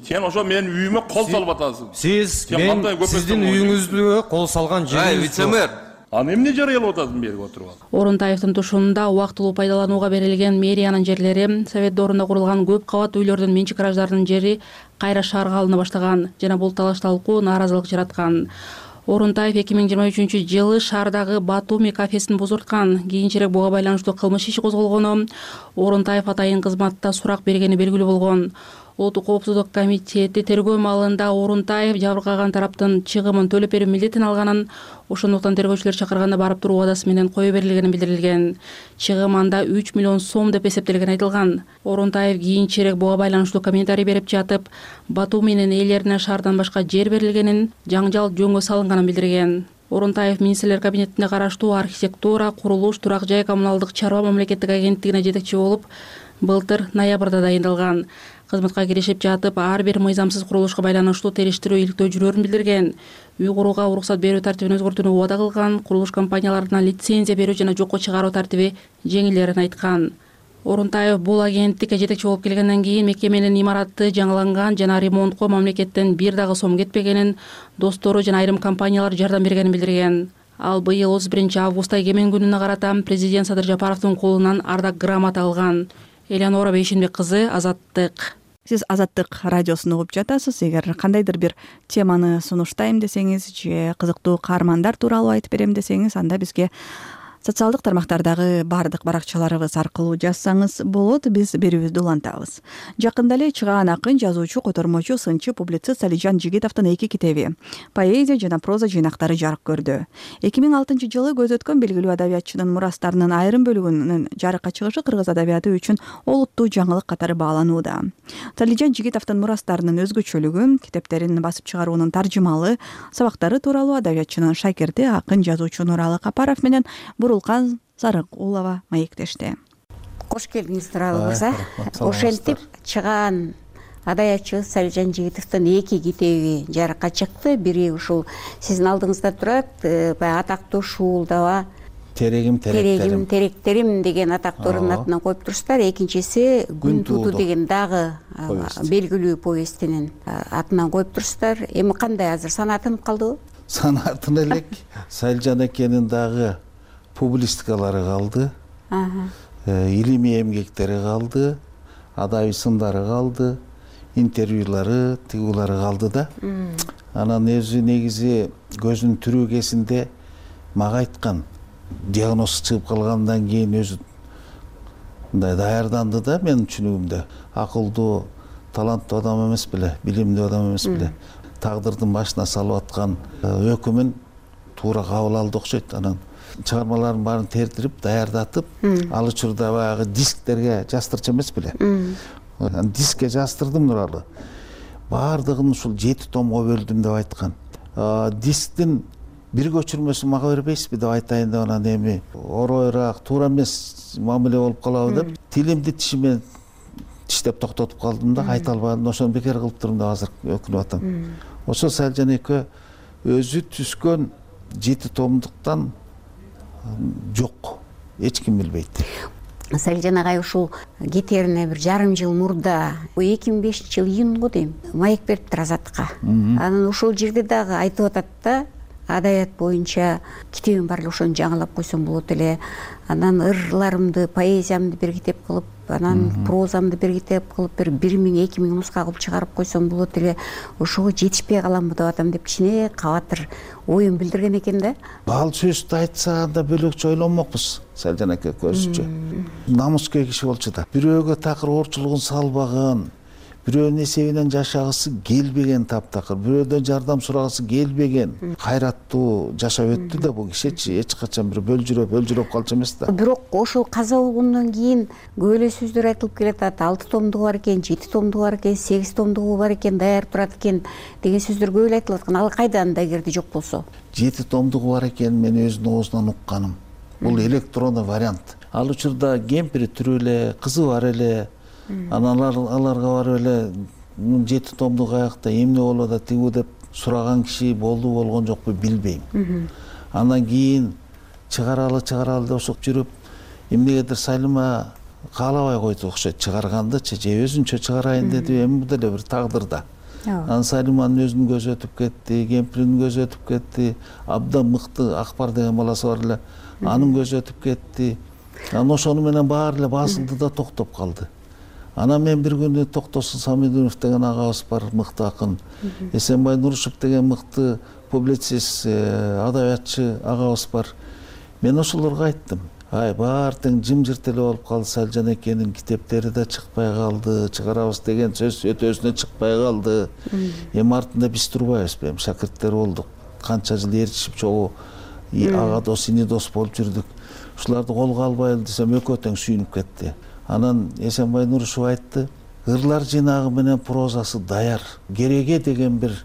Сен ошо менин үйүмө кол салып атасың. Сиз мен сиздин үйүңүзгө кол салган жерибиз жок. Аны эмне жарыялап атасың берип отуруп ал? Орунтаевдин тушунунда убактылуу пайдаланууга берилген мэриянын жерлери, совет доорунда курулган көп кабат үйлөрдүн менчик гараждарынын жери кайра шаарга алына баштаган жана бул талаш талкуу нааразылык жараткан. Орунтаев эки миң жыйырма үчүнчү жылы шаардагы Батуми кафесин бузурткан. Кийинчерээк буга байланыштуу кылмыш иши козголгону, Орунтаев атайын кызматта сурак бергени белгилүү болгон. Улуттук коопсуздук комитети тергөө маалында Орунтаев жабыркаган тараптын чыгымын төлөп берүү милдетин алганын, ошондуктан тергөөчүлөр чакырганда барып туруу убадасы менен кое берилгени билдирилген. Чыгым анда үч миллион сом деп эсептелгени айтылган. Орунтаев кийинчерээк буга байланыштуу комментарий берип жатып, Батуминин ээлерине шаардан башка жер берилгенин, жаңжал жөнгө салынганын билдирген. Орунтаев министрлер кабинетине караштуу архитектура, курулуш, турак жай, коммуналдык чарба мамлекеттик агенттигине жетекчи болуп, былтыр ноябрда дайындалган. Кызматка киришип жатып, ар бир мыйзамсыз курулушка байланыштуу териштирүү иликтөө жүрөөрүн билдирген. Үй курууга уруксат берүү тартибин өзгөртүүнү убада кылган, курулуш компанияларына лицензия берүү жана жокко чыгаруу тартиби жеңилдерин айткан. Орунтаев бул агенттикке жетекчи болуп келгенден кийин мекеменин имараты жаңыланган жана ремонтко мамлекеттен бир дагы сом кетпегенин, достору жана айрым компаниялар жардам бергенин билдирген. Ал быйыл отуз биринчи августта эгемен күнүнө карата президент Садыр Жапаровдун колунан ардак грамота алган. Элеонора Бейшенбек кызы, Азаттык. Сиз Азаттык радиосун угуп жатасыз. Эгер кандайдыр бир теманы сунуштайм десеңиз же кызыктуу каармандар тууралуу айтып берем десеңиз, анда бизге социалдык тармактардагы баардык баракчаларыбыз аркылуу жазсаңыз болот, биз берүүбүздү улантабыз. Жакында эле чыгаан акын, жазуучу, котормочу, сынчы, публицист Алижан Жигитовдун эки китеби, поэзия жана проза жыйнактары жарык көрдү. эки миң алтынчы жылы көз өткөн белгилүү адабиятчынын мурастарынын айрым бөлүгүнүн жарыкка чыгышы кыргыз адабияты үчүн олуттуу жаңылык катары бааланууда. Алижан Жигитовдун мурастарынын өзгөчөлүгү, китептерин басып чыгаруунун таржымалы сабактары тууралуу адабиятчынын шакирти, акын, жазуучу Нуралы Капаров менен Бурулкан Сарыкулова маектешти. Кош келдиңиз, Нуралы мырза. Ошентип чыгаан адабиятчыбыз Алижан Жигитовдун эки китеби жарыкка чыкты. Бири ушул сиздин алдыңызда турат, баягы атактуу Шуулдаба терегим теректерим теректерим деген атактуурунун атынан коюп турсуздар. Экинчиси Күн тууду деген дагы белгилүү повестинин атынан коюп турсуздар. Эми кандай азыр санатынып калдыбы? Санатын элек. Салжан экенин дагы публистикалары калды, илимий эмгектери калды, адабий сындары калды, интервьюлары, тигулары калды да. Анан өзү негизи көзүнүн түрүгесинде мага айткан, диагноз чыгып калгандан кийин өзү мындай даярданды да, менин түшүнүгүмдө. Акылдуу, таланттуу адам эмес беле, билимдүү адам эмес беле. Тагдырдын башына салып аткан өкүмүн туура кабыл алды окшойт. Анан чыгармаларын баарын тердирип даярдатып, ал учурда баягы дисктерге жастырчу эмес беле. Дискке жастырдым Нуралы. Баардыгын ушул жети томго бөлдүм деп айткан. Дисктин бир көчүрмөсүн мага бербейсизби деп айтайын деп, анан эми оройраак, туура эмес мамиле болуп калабы деп тилимди тишимен тиштеп токтотуп калдым да, айта албадым. Ошону бекер кылып турдум деп азыр өкүнүп атам. Ошо Салжан эке өзү түзгөн жети томдуктан жок, эч ким билбейт. Салжан агай ушул кетерине бир жарым жыл мурда эки миң бешинчи жыл июнго дейм маек бериптир Азаттыкка. Анан ушул жерде дагы айтып атат да, адаят боюнча китебим бар эле, ошону жаңылап койсом болот эле. Анан ырларымды, поэзиямды бир китеп кылып, анан прозамды бир китеп кылып, бир бир миң эки миң нуска кылып чыгарып койсом болот эле. Ошого жетишпей каламбы деп атам деп кичине кабатыр оюн билдирген экен да. Ал сөздү айтса анда бөлөкчө ойлонмокпуз Салжан эке көзүчө. Намыскер киши болчу да. Бирөөгө такыр оорчулугун салбаган, бирөөнүн эсебинен жашагысы келбеген таптакыр, бирөөдөн жардам сурагысы келбеген, кайраттуу жашап өттү да бул кишичи. Эч качан бир бөлжүрөп, бөлжүрөп калчу эмес да. Бирок ошол каза болгондон кийин көп эле сөздөр айтылып келатат. алты томдугу бар экен, жети томдугу бар экен, сегиз томдугу бар экен, даяр турат экен деген сөздөр көп эле айтылып аткан. Ал кайда анда эгерде жок болсо? жети томдугу бар экен, мен өзүнүн оозунан укканым. Бул электрондуу вариант. Ал учурда кемпири тирүү эле, кызы бар эле. Анан аларга барып эле жети томдук аякта эмне болуп атат тигүү деп сураган киши болду болгон жокпу билбейм. Андан кийин чыгаралы чыгаралы деп ошо жүрүп эмнегедир Салима каалабай койду окшойт чыгаргандычы, же өзүнчө чыгарайын деди, эми бул деле бир тагдыр да. Анан Салиманын өзүнүн көзү өтүп кетти, кемпиринин көзү өтүп кетти, абдан мыкты Акбар деген баласы бар эле, анын көзү өтүп кетти. Анан ошону менен баары эле басылды да токтоп калды. Анан мен бир күнү Токтосун Самидунов деген агабыз бар, мыкты акын, Эсенбай Нурушев деген мыкты публицист, адабиятчы агабыз бар. Мен ошолорго айттым, ай баары тең жымжырт эле болуп калды, Салжан экенин китептери да чыкпай калды, чыгарабыз деген сөз өтөсүнө чыкпай калды. Эми артында биз турбайбызбы, эми шакирттер болдук, канча жыл ээрчишип чогуу ага дос, ини дос болуп жүрдүк. Ушуларды колго албайлы десем экөө тең сүйүнүп кетти. Анан Эсенбай Нурушев айтты, ырлар жыйнагы менен прозасы даяр. Кереге деген бир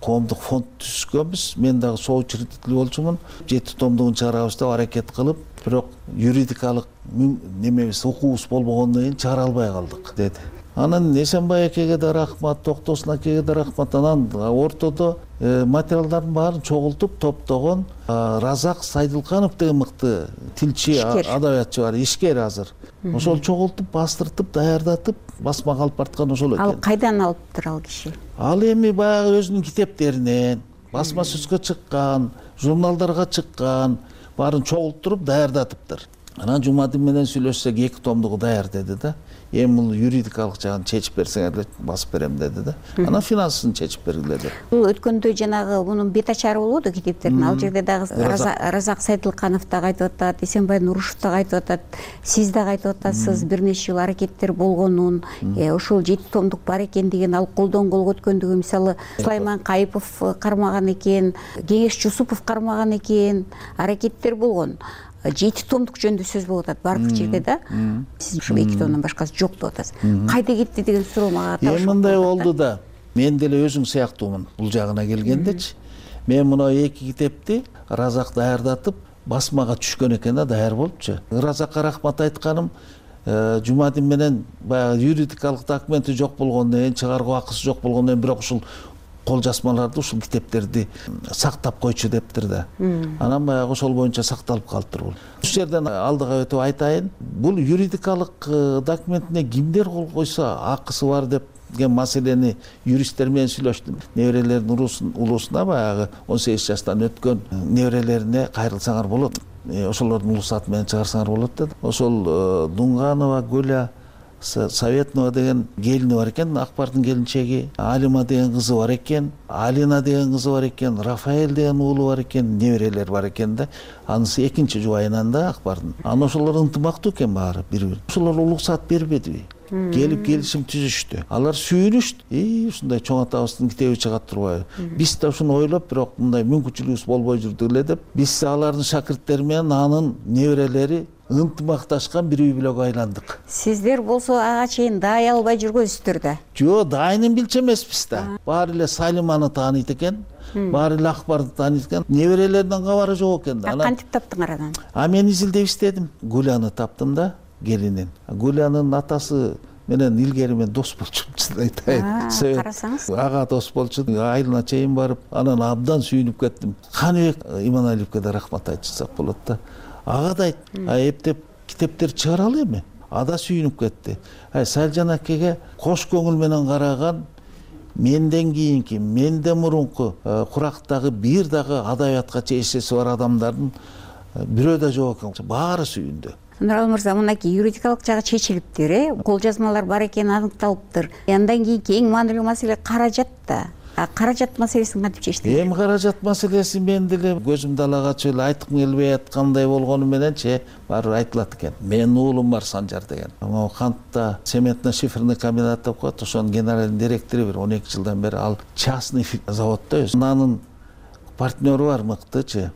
коомдук фонд түзгөнбүз. Мен дагы соучредитель болчумун. жети томдугун чыгарабыз деп аракет кылып, бирок юридикалык немебиз, укуубуз болбогондон кийин чыгара албай калдык деди. Анан Эсенбай экеге да рахмат, Токтосун акеге да рахмат. Анан ортодо материалдардын баарын чогултуп топтогон Разак Сайдылканов деген мыкты тилчи, адабиятчы бар, ишкер азыр. Ошол чогултуп, бастыртып, даярдатып, басмага алып барткан ошол экен. Ал кайдан алыптыр ал киши? Ал эми баягы өзүнүн китептеринен, басма сөзгө чыккан, журналдарга чыккан, баарын чогултуруп даярдатыптыр. Анан Жумадин менен сүйлөшсөк эки томдугу даяр деди да. Эми бул юридикалык жагын чечип берсеңер эле басып берем деди да. Анан финансын чечип бергиле деп. Бул өткөндө жанагы мунун бет ачары болбоду китептердин. Ал жерде дагы Разак Сайдылканов дагы айтып атат, Эсенбай Нурушев дагы айтып атат, сиз дагы айтып атасыз бир нече жыл аракеттер болгонун, ошол жети томдук бар экен деген, ал колдон колго өткөндүгү, мисалы Сулайман Кайыпов кармаган экен, Кеңеш Жусупов кармаган экен, аракеттер болгон. жети томдук жөнүндө сөз болуп атат баардык жерде да. Сиз ушул эки томдон башкасы жок деп атасыз. Кайда кетти деген суроо мага таап. Эми мындай болду да. Мен деле өзүң сыяктуумун бул жагына келгендечи. Мен мына эки китепти Разак даярдатып, басмага түшкөн экен да, даяр болупчу. Разакка рахмат айтканым, Жумадин менен баягы юридикалык документи жок болгондон кийин, чыгаруу акысы жок болгондон кийин, бирок ушул кол жазмаларды, ушул китептерди сактап койчу дептир да. Анан баягы ошол боюнча сакталып калыптыр бул. Ушул жерден алдыга өтүп айтайын, бул юридикалык документине кимдер кол койсо акысы бар деген маселени юристтер менен сүйлөштүм. Неберелердин улусуна, баягы он сегиз жаштан өткөн неберелерине кайрылсаңар болот. Ошолордун улусаты менен чыгарсаңар болот деди. Ошол Дунганова Гүля Советнова деген келини бар экен, Акбардын келинчеги, Алима деген кызы бар экен, Алина деген кызы бар экен, Рафаэль деген уулу бар экен, неберелер бар экен да. Анысы экинчи жубайынан да Акбардын. Анан ошолор ынтымактуу экен баары бири-бири. Ошолор уруксат бербедиби? келип келишим түзүштү. Алар сүйүнүштү. И ушундай чоң атабыздын китеби чыгат турбайбы? Биз да ушуну ойлоп, бирок мындай мүмкүнчүлүгүбүз болбой жүрдү эле деп, биз алардын шакирттери менен анын неберелери ынтымакташкан бир үй бүлөгө айландык. Сиздер болсо ага чейин даай албай жүргөнсүздөр да. Жок, дайынын билчү эмеспиз да. Баары эле Салиманы тааныйт экен. Баары эле Акбарды тааныйт экен. Неберелеринин кабары жок экен да. Кантип таптыңар анан? А мен изилдеп издедим. Гуляны таптым да, келинин. Гулянын атасы менен илгери мен дос болчумун, айтайын. Карасаңыз. Ага дос болчу, айылына чейин барып, анан абдан сүйүнүп кеттим. Каныбек Иманалиевке да рахмат айтышсак болот да. Ага да айт, а эптеп китептер чыгаралы эми. Ада сүйүнүп кетти. Ай Салжан акеге кош көңүл менен караган, менден кийинки, менден мурунку курактагы бир дагы адабиятка чечеси бар адамдардын бирөө да жок экен. Баары сүйүндү. Нуралы мырза, мынакей юридикалык жагы чечилиптир, э? Кол жазмалар бар экени аныкталыптыр. Андан кийинки эң маанилүү маселе каражат да. А каражат маселесин кантип чечтиңер? Эми каражат маселеси мен деле көзүмдү ала качып эле айткым келбей аткандай болгону мененчи баары айтылат экен. Менин уулум бар Санжар деген. Могу кантта цементно-шиферный комбинат деп коет, ошонун генеральный директору бир он эки жылдан бери ал частный заводдо өзү. Анын партнеру бар мыктычы.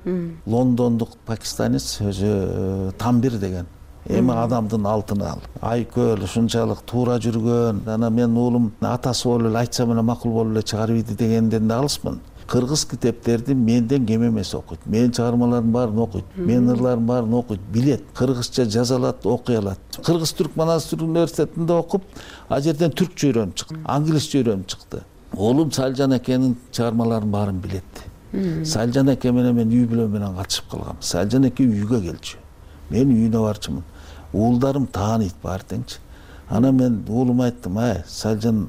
Лондондук пакистанец өзү Тамбир деген. Эми адамдын алтыны ал. Айкөл ушунчалык туура жүргөн. Анан менин уулум атасы болуп эле айтсам эле макул болуп эле чыгарып ийди дегенден да алысмын. Кыргыз китептерди менден кем эмес окуйт. Менин чыгармаларымдын баарын окуйт. Менин ырларымдын баарын окуйт, билет. Кыргызча жаза алат, окуй алат. Кыргыз Түрк Манастыр университетинде окуп, а жерден түркчө үйрөнүп чыкты, англисче үйрөнүп чыкты. Уулум Салжан акенин чыгармаларынын баарын билет. Салжан аке менен мен үй бүлө менен катышып калгам. Салжан аке үйгө келчү. Мен үйүнө барчумун. Уулдарым тааныйт баары теңчи. Анан мен уулума айттым, ай, Салжан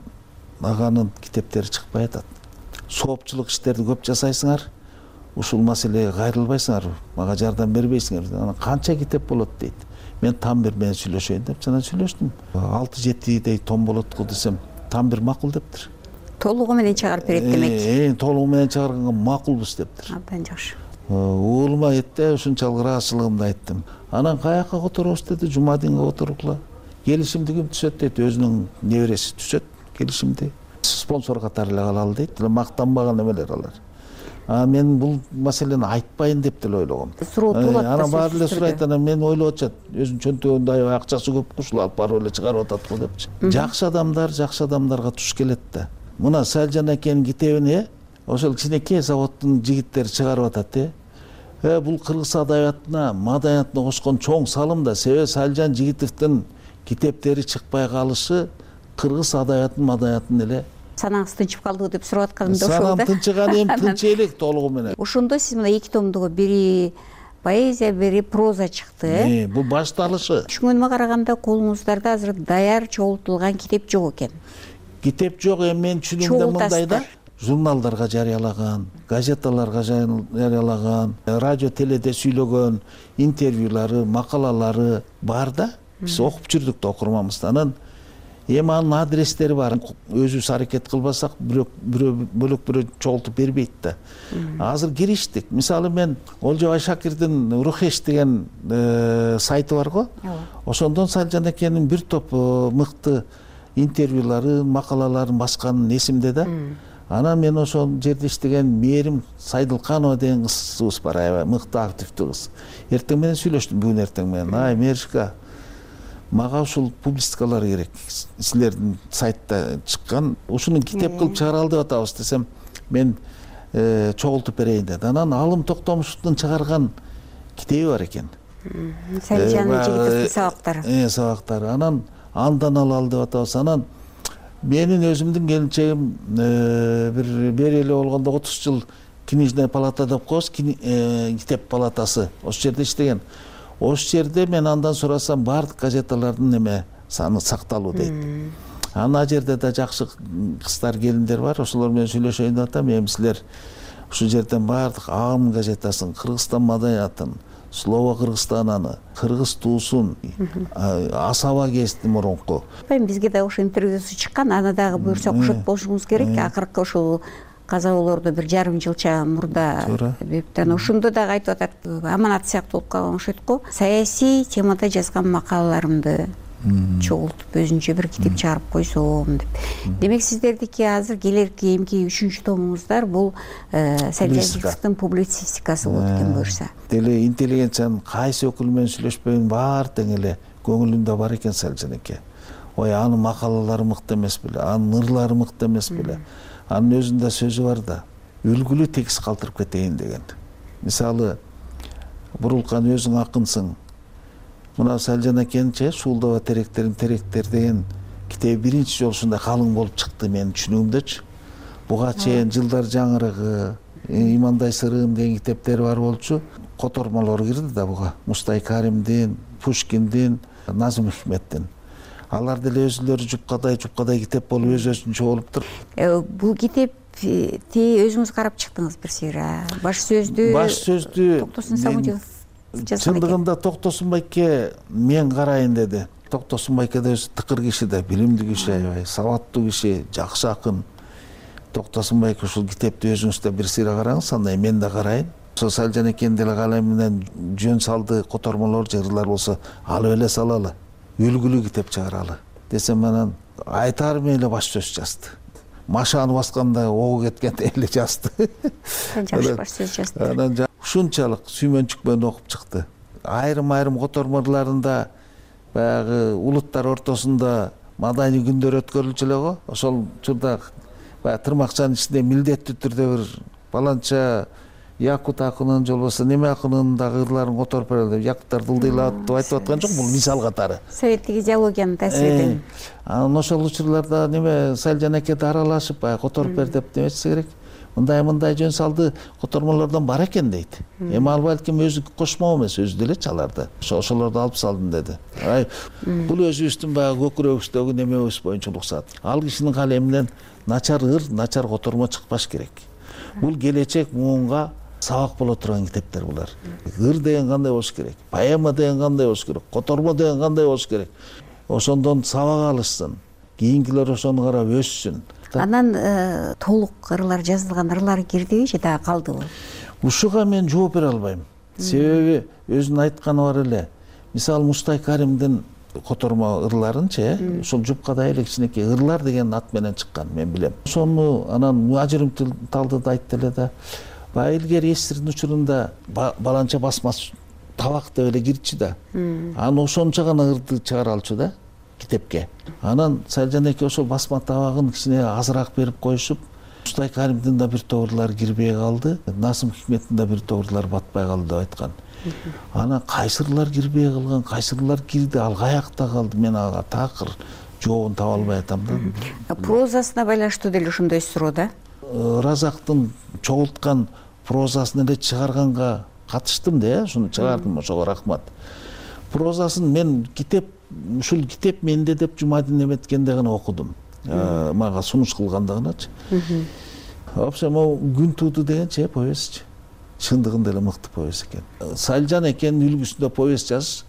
аганын китептери чыкпай атат. Соопчулук иштерди көп жасайсыңар, ушул маселеге кайрылбайсыңар, мага жардам бербейсиңер. Анан канча китеп болот дейт. Мен Тамбир менен сүйлөшөйүн деп жана сүйлөштүм. алты жетидей том болот го десем, Тамбир макул дептир. Толугу менен чыгарып берет демек. Э, толугу менен чыгарганга макулбуз дептир. Абдан жакшы. Уулума айтты, ушунчалык ыраазычылыгымды айттым. Анан каяка которобуз деди, Жумадинге которгула. Келишимди ким түзөт дейт, өзүнүн небереси түзөт келишимди. Спонсор катары эле калалы дейт, мактанбаган эмелер алар. А мен бул маселени айтпайын деп деле ойлогом. Суроо туулат да. Анан баары эле сурайт, анан мен ойлоп атышат, өзүнүн чөнтөгүндө аябай акчасы көп ушул алып барып эле чыгарып атат го депчи. Жакшы адамдар жакшы адамдарга туш келет да. Мына Салжан акенин китебин ошол кичинекей заводдун жигиттери чыгарып атат, э. Э, бул кыргыз адабиятына, маданиятына кошкон чоң салым да. Себеби Салжан Жигитовдун китептери чыкпай калышы кыргыз адабиятын, маданиятын эле. Санаңыз тынчып калдыбы деп сурап атканымда ошол да. Санам тынчыган эми тынч элек толугу менен. Ошондо сиз мына эки томдугу бири поэзия, бири проза чыкты, э? Бул башталышы. Түшүнгөнүмө караганда колуңуздарда азыр даяр чогултулган китеп жок экен. Китеп жок, эми мен түшүнүмдө мындай да. Журналдарга жарыялаган, газеталарга жарыялаган, радио теледе сүйлөгөн интервьюлары, макалалары бар да. Биз окуп жүрдүк да окурманбызды. Анан эми анын адрестери бар. Өзүбүз аракет кылбасак, бирок бөлөк бирөө чогултуп бербейт да. Азыр кириштик. Мисалы мен Олжобай Шакирдин Рухеш деген сайты бар го. Ошондон Салжан акенин бир топ мыкты интервьюлары, макалаларын басканын эсимде да. Анан мен ошол жерде иштеген Мээрим Сайдылканова деген кызыбыз бар, аябай мыкты активдүү кыз. Эртең менен сүйлөштүм, бүгүн эртең менен. Ай, Мээришка, мага ушул публистикалар керек. Силердин сайтта чыккан, ушуну китеп кылып чыгаралы деп атабыз десем, мен чогултуп берейин деди. Анан Алым Токтомушевдун чыгарган китеби бар экен. Салжан Жигитовдун сабактары. Э, сабактары. Анан андан алалы деп атабыз. Анан менин өзүмдүн келинчегим бир бери эле болгондо отуз жыл книжная палата деп коебуз, китеп палатасы. Ошол жерде иштеген. Ошол жерде мен андан сурасам, баардык газеталардын эме саны сакталуу дейт. Ана жерде да жакшы кыздар, келиндер бар. Ошолор менен сүйлөшөйүн деп атам. Эми силер ушул жерден баардык Агым газетасын, Кыргызстан маданиятын, Слово Кыргызстананы, Кыргыз туусун, Асаба гезити мурунку. Бизге да ошо интервьюсу чыккан, аны дагы буюрса окушот болушуңуз керек. Акыркы ушул казалоолорду бир жарым жылча мурда бептен ошондо дагы айтып атат, аманат сыяктуу болуп калган окшойт го. Саясий темада жазган макалаларымды чогултуп өзүнчө бир китеп чыгарып койсом деп. Демек сиздердики азыр келерки эмки үчүнчү томуңуздар бул Салижан Жигитовдун публицистикасы болот экен буюрса. Деле интеллигенциянын кайсы өкүлү менен сүйлөшпөйүн баары тең эле көңүлүндө бар экен Салижан эке. Ой, анын макалалары мыкты эмес беле, анын ырлары мыкты эмес беле. Анын өзүндө сөзү бар да, үлгүлүү текст калтырып кетейин деген. Мисалы, Бурулкан өзүң акынсың. Мына Салижан экенчи Суулдаба теректерин теректер деген китеби биринчи жолу ушундай калың болуп чыкты менин түшүнүгүмдөчү. Буга чейин Жылдар жаңырыгы, Имандай сырыым деген китептери бар болчу. Котормолор кирди да буга. Мустай Каримдин, Пушкиндин, Назым Хикметтин. Алар деле өзүлөрү жупкадай жупкадай китеп болуп өз-өзүнчө болуптур. Бул китепти өзүңүз карап чыктыңыз бир сыйра. Баш сөздү Баш сөздү Токтосун Самудинов чындыгында Токтосун байке мен карайын деди. Токтосун байке да өзү тыкыр киши да, билимдүү киши, аябай сабаттуу киши, жакшы акын. Токтосун байке ушул китепти өзүңүз да бир сыйра караңыз, андай мен да карайын. Ошо Салижан экен деле калем менен жөн салды котормолор, жырлар болсо алып эле салалы. Үлгүлүү китеп чыгаралы десем, анан айтарым эле баш сөз жазды. Машаны басканда огу кеткендей эле жазды. Жакшы баш сөз жазды. Анан ушунчалык сүймөнчүк менен окуп чыкты. Айрым-айрым котормолорунда баягы улуттар ортосунда маданий күндөр өткөрүлчү эле го. Ошол учурда баягы тырмакчанын ичинде милдеттүү түрдө бир баланча Якут акынын же болбосо неме акынын дагы ырларын которуп берели деп якуттар дылдыйлап деп айтып аткан жок, бул мисал катары. Советтик идеологиянын таасириден. Анан ошол учурларда неме Салижан эке да аралашып баягы которуп бер деп демечсе керек. Мындай-мындай жөн салды котормолордон бар экен дейт. Эми ал балким өзү кошмо эмес, өзү деле чаларды. Ошолорду алып салдым деди. Ай, бул өзүбүздүн баягы көкүрөгүбүздөгү немебиз боюнча уруксат. Ал кишинин калеминен начар ыр, начар котормо чыкпаш керек. Бул келечек муунга сабак боло турган китептер булар. Ыр деген кандай болуш керек, поэма деген кандай болуш керек, котормо деген кандай болуш керек. Ошондон сабак алышсын, кийинкилер ошону карап өссүн. Анан толук ырлар жазылган ырлар кирдиби же дагы калдыбы? Ушуга мен жооп бере албайм. Себеби өзүнүн айтканы бар эле. Мисалы Мустай Каримдин котормо ырларынчы, ошол жупкадай эле кичинекей ырлар деген ат менен чыккан, мен билем. Ошону анан ажырым талдыда айтты эле да. Баягы илгери эсирдин учурунда баланча басмасы табак деп эле кирчү да. Анан ошончо гана ырды чыгара алчу да китепке. Анан Салижан эке ошол басма табагын кичине азыраак берип коюшуп, Мустай Каримдин да бир топ ырлары кирбей калды, Назым Хикметтин да бир топ ырлары батпай калды деп айткан. Анан кайсы ырлар кирбей калган, кайсы ырлар кирди, ал каякта калды, мен ага такыр жообун таба албай атам да. Прозасына байланыштуу деле ошондой суроо да. Разактын чогулткан прозасын эле чыгарганга катыштым да, ушуну чыгардым, ошого рахмат. Прозасын мен китеп, ушул китеп менде деп Жумадин эметкенде гана окудум. Мага сунуш кылганда гыначы. Вообще могу күн тууду дегенчи повестчи. Чындыгында эле мыкты повест экен. Салижан экенин үлгүсүндө повест жазыш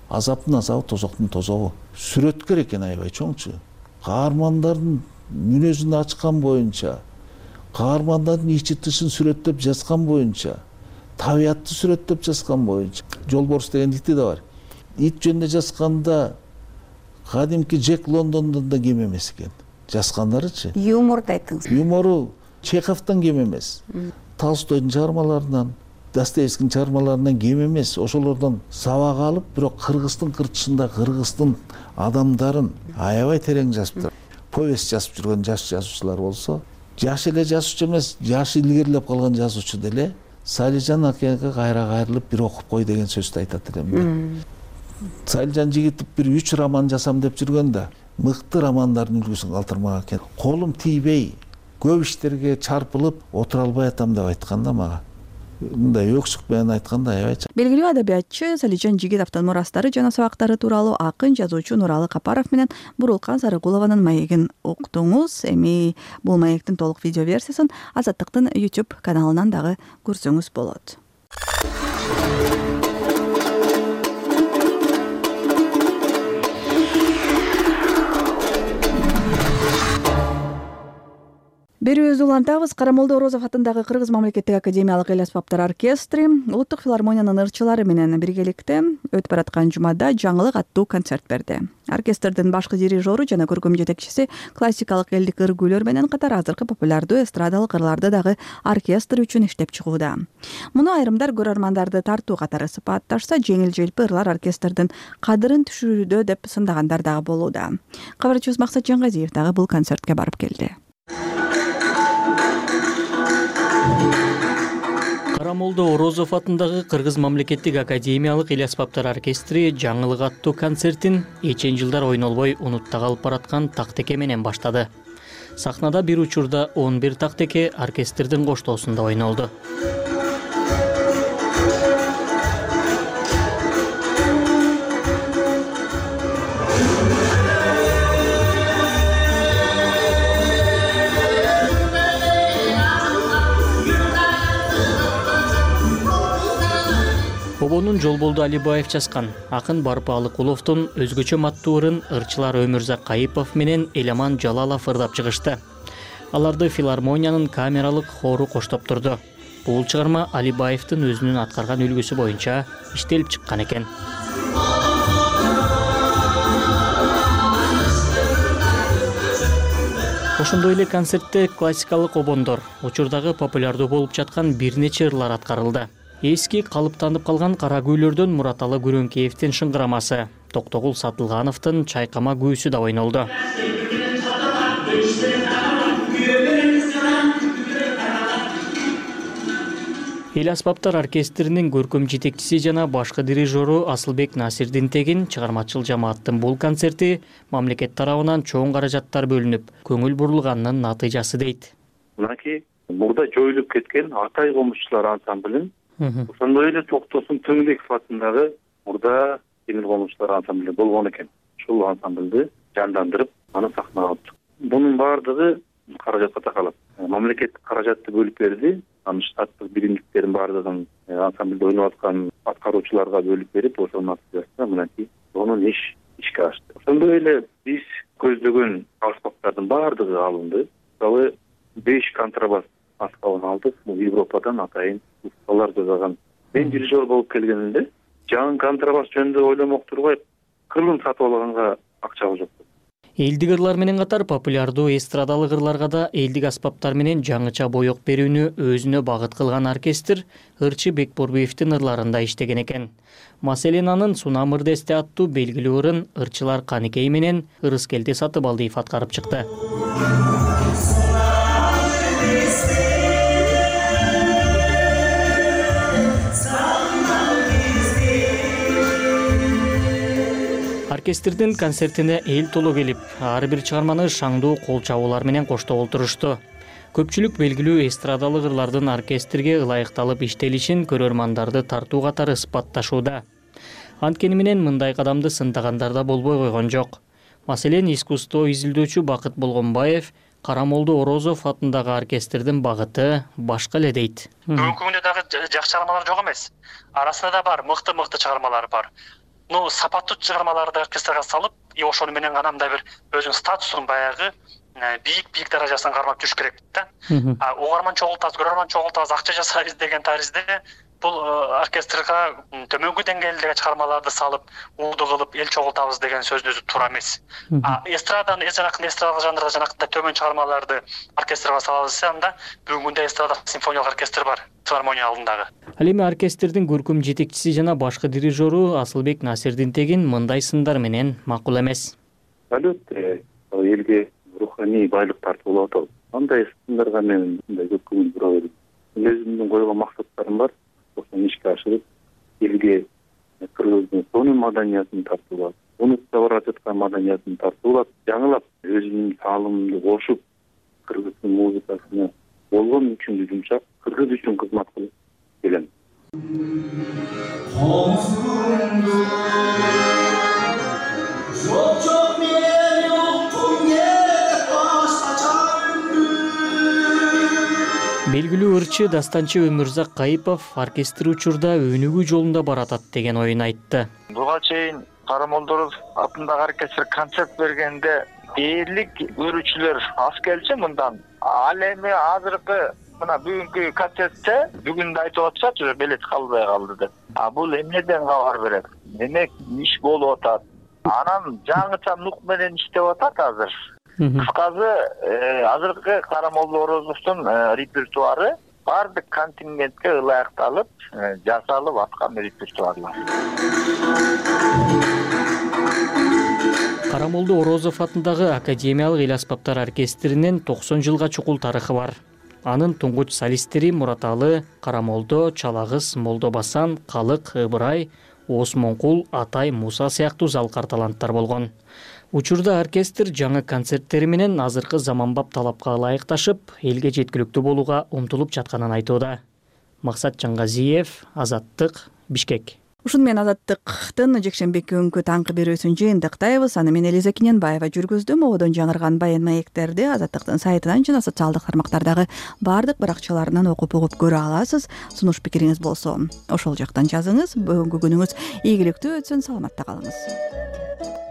азаптын азабы, тозоктун тозогу. Сүрөткөр экен аябай чоңчу. Каармандардын мүнөзүн ачкан боюнча, каармандардын ичи тышын сүрөттөп жазган боюнча, табиятты сүрөттөп жазган боюнча. Жолборс деген ити да бар. Ит жөнүндө жазганда кадимки Джек Лондондон да кем эмес экен. Жазгандарычы. Юморду айттыңыз. Юмору Чеховдон кем эмес. Толстойдун чыгармаларынан, Достоевскийдин чыгармаларынан кем эмес. Ошолордон сабак алып, бирок кыргыздын кырчысында кыргыздын адамдарын аябай терең жазыптыр. Повест жазып жүргөн жаш жазуучулар болсо, жаш эле жазуучу эмес, жашы илгерилеп калган жазуучу деле Салижан акеге кайра кайрылып бир окуп кой деген сөздү айтат элем да. Салижан Жигитов бир үч роман жасам деп жүргөндө мыкты романдардын үлгүсүн калтырмак экен. Колум тийбей, көп иштерге чарпылып отура албай атам деп айткан да мага. Мындай өксүк менен айтканда аябай. Белгилүү адабиятчы Салижан Жигитовдун мурастары жана сабактары тууралуу акын жазуучу Нуралы Капаров менен Бурулкан Сарыгулованын маегин уктуңуз. Эми бул маектин толук видео версиясын Азаттыктын YouTube каналынан дагы көрсөңүз болот. Берүүбүздү улантабыз. Карамолдо Орозов атындагы Кыргыз мамлекеттик академиялык эл аспаптар оркестри Улуттук филармониянын ырчылары менен биргеликте өтүп бараткан жумада жаңылык аттуу концерт берди. Оркестрдин башкы дирижеру жана көркөм жетекчиси классикалык элдик ыр күйлөр менен катар азыркы популярдуу эстрадалык ырларды дагы оркестр үчүн иштеп чыгууда. Муну айрымдар көрөрмандарды тартуу катары сыпатташса, жеңил-желпи ырлар оркестрдин кадырын түшүрүүдө деп сындагандар дагы болууда. Кабарчыбыз Максат Жангазиев дагы бул концертке барып келди. Карамолдо Орозов атындагы Кыргыз мамлекеттик академиялык эл аспаптар оркестри жаңылык аттуу концертин эчен жылдар ойнолбой унутта калып бараткан тактеке менен баштады. Сахнада бир учурда он бир тактеке оркестрдин коштоосунда ойнолду. Обонун Жолболду Алибаев жазган, акын Барпы Алыкуловдун өзгөчө маттуу ырын ырчылар Өмүрзак Кайыпов менен Эламан Жалалов ырдап чыгышты. Аларды филармониянын камералык хору коштоп турду. Бул чыгарма Алибаевдин өзүнүн аткарган үлгүсү боюнча иштелип чыккан экен. Ошондой эле концертте классикалык обондор, учурдагы популярдуу болуп жаткан бир нече ырлар аткарылды. Эски калыптанып калган кара күйлөрдөн Мураталы Күрөңкеевдин шыңгырамасы, Токтогул Сатылгановдун чайкама күүсү да ойнолду. Эл аспаптар оркестринин көркөм жетекчиси жана башкы дирижеру Асылбек Насирдинтегин чыгармачыл жамааттын бул концерти мамлекет тарабынан чоң каражаттар бөлүнүп, көңүл бурулганынын натыйжасы дейт. Мынакей мурда жоюлуп кеткен Атай комузчулар ансамблин, ошондой эле Токтосун Тыңбеков атындагы мурда темир комузчулар ансамбли болгон экен. Ушул ансамблды жандандырып, аны сахнага алыптык. Бунун баардыгы каражатка такалат. Мамлекет каражатты бөлүп берди. Анын штаттык биримдиктерин баардыгын ансамблде ойноп аткан аткаруучуларга бөлүп берип, ошонун натыйжасында мынакей сонун иш ишке ашты. Ошондой эле биз көздөгөн аспаптардын баардыгы алынды. Мисалы беш контрабас аспабын алдык. Бул Европадан атайын усталар жасаган. Мен дирижер болуп келгенимде жаңы контрабас жөнүндө ойломок турбай кырын сатып алганга акчабыз жок. Элдик ырлар менен катар популярдуу эстрадалык ырларга да элдик аспаптар менен жаңыча боек берүүнү өзүнө багыт кылган оркестр ырчы Бекборбиевдин ырларында иштеген экен. Маселен анын Сунам ырдесте аттуу белгилүү ырын ырчылар Каникей менен Ырыскелди Сатыбалдиев аткарып чыкты. Оркестрдин концертине эл толо келип, ар бир чыгарманы шаңдуу кол чабуулар менен коштоп олтурушту. Көпчүлүк белгилүү эстрадалык ырлардын оркестрге ылайыкталып иштелишин көрөрмандарды тартуу катары ысбатташууда. Анткени менен мындай кадамды сындагандар да болбой койгон жок. Маселен, искусство изилдөөчү Бакыт Болгонбаев Карамолдо Орозов атындагы оркестрдин багыты башка эле дейт. Бүгүнкү күндө дагы жакшы чыгармалар жок эмес. Арасында да бар, мыкты-мыкты чыгармалар бар. Ну, сапаттуу чыгармаларды оркестрге салып, и ошону менен гана мындай бир өзүнүн статусун баягы бийик-бийик даражасына кармап жүрүш керек да. Угарман чогултабыз, көрөрман чогултабыз, акча жасайбыз деген таризде бул оркестрга төмөнкү деңгээлдеги чыгармаларды салып, ууду кылып, эл чогултабыз деген сөздүн өзү туура эмес. Эстраданы, жанакындай эстрадалык жанрда жанакындай төмөн чыгармаларды оркестрге салабыз, анда бүгүнкү күндө эстрада симфониялык оркестр бар, филармония алдындагы. Ал эми оркестрдин көркөм жетекчиси жана башкы дирижеру Асылбек Насирдинтегин мындай сындар менен макул эмес. Албетте, элге руханий байлык тартып болуп атабыз. Андай сындарга мен мындай көп көңүл бура берем. Өзүмдүн койгон максаттарым бар. Ошону ишке ашырып, элге Кыргыздын сонун маданиятын тартып алат. Унутта бара жаткан маданиятын тартып алат. Жаңылап өзүмдүн таалымымды кошуп, Кыргыздын музыкасына болгон үчүн жумшап, Кыргыз үчүн кызмат кылып келем. Белгилүү ырчы дастанчы Өмүрзак Кайыпов оркестр учурда өнүгүү жолунда баратат деген оюн айтты. Буга чейин Карамолдо Орозов атындагы оркестр концерт бергенде дээрлик көрүүчүлөр аз келчү мындан. Ал эми азыркы мына бүгүнкү концертте бүгүн да айтып атышат уже билет калбай калды деп. А бул эмнеден кабар берет? Демек иш болуп атат. Анан жаңыча нук менен иштеп атат азыр. Кыскасы азыркы Карамолдо Орозовдун репертуары баардык контингентке ылайыкталып жасалып аткан репертуарлар. Карамолдо Орозов атындагы Академиялык эл аспаптар оркестринин токсон жылга чукул тарыхы бар. Анын туңгуч солисттери Мураталы, Карамолдо, Чалагыз, Молдобасан, Калык, Ыбырай, Осмонкул, Атай, Муса сыяктуу залкар таланттар болгон. Учурда оркестр жаңы концерттери менен азыркы заманбап талапка ылайыкташып, элге жеткиликтүү болууга умтулуп жатканын айтууда. Максат Жаңгазиев, Азаттык, Бишкек. Ушун менен Азаттыктын жекшембике күнкү таңкы берүүсүн жыйынтыктайбыз. Аны мен Элиза Кененбаева жүргүздүм. Ободон жаңырган баян маектерди Азаттыктын сайтынан жана социалдык тармактардагы баардык баракчаларынан окуп угуп көрө аласыз. Сунуш пикириңиз болсо ошол жактан жазыңыз. Бүгүнкү күнүңүз ийгиликтүү өтсүн, саламатта калыңыз.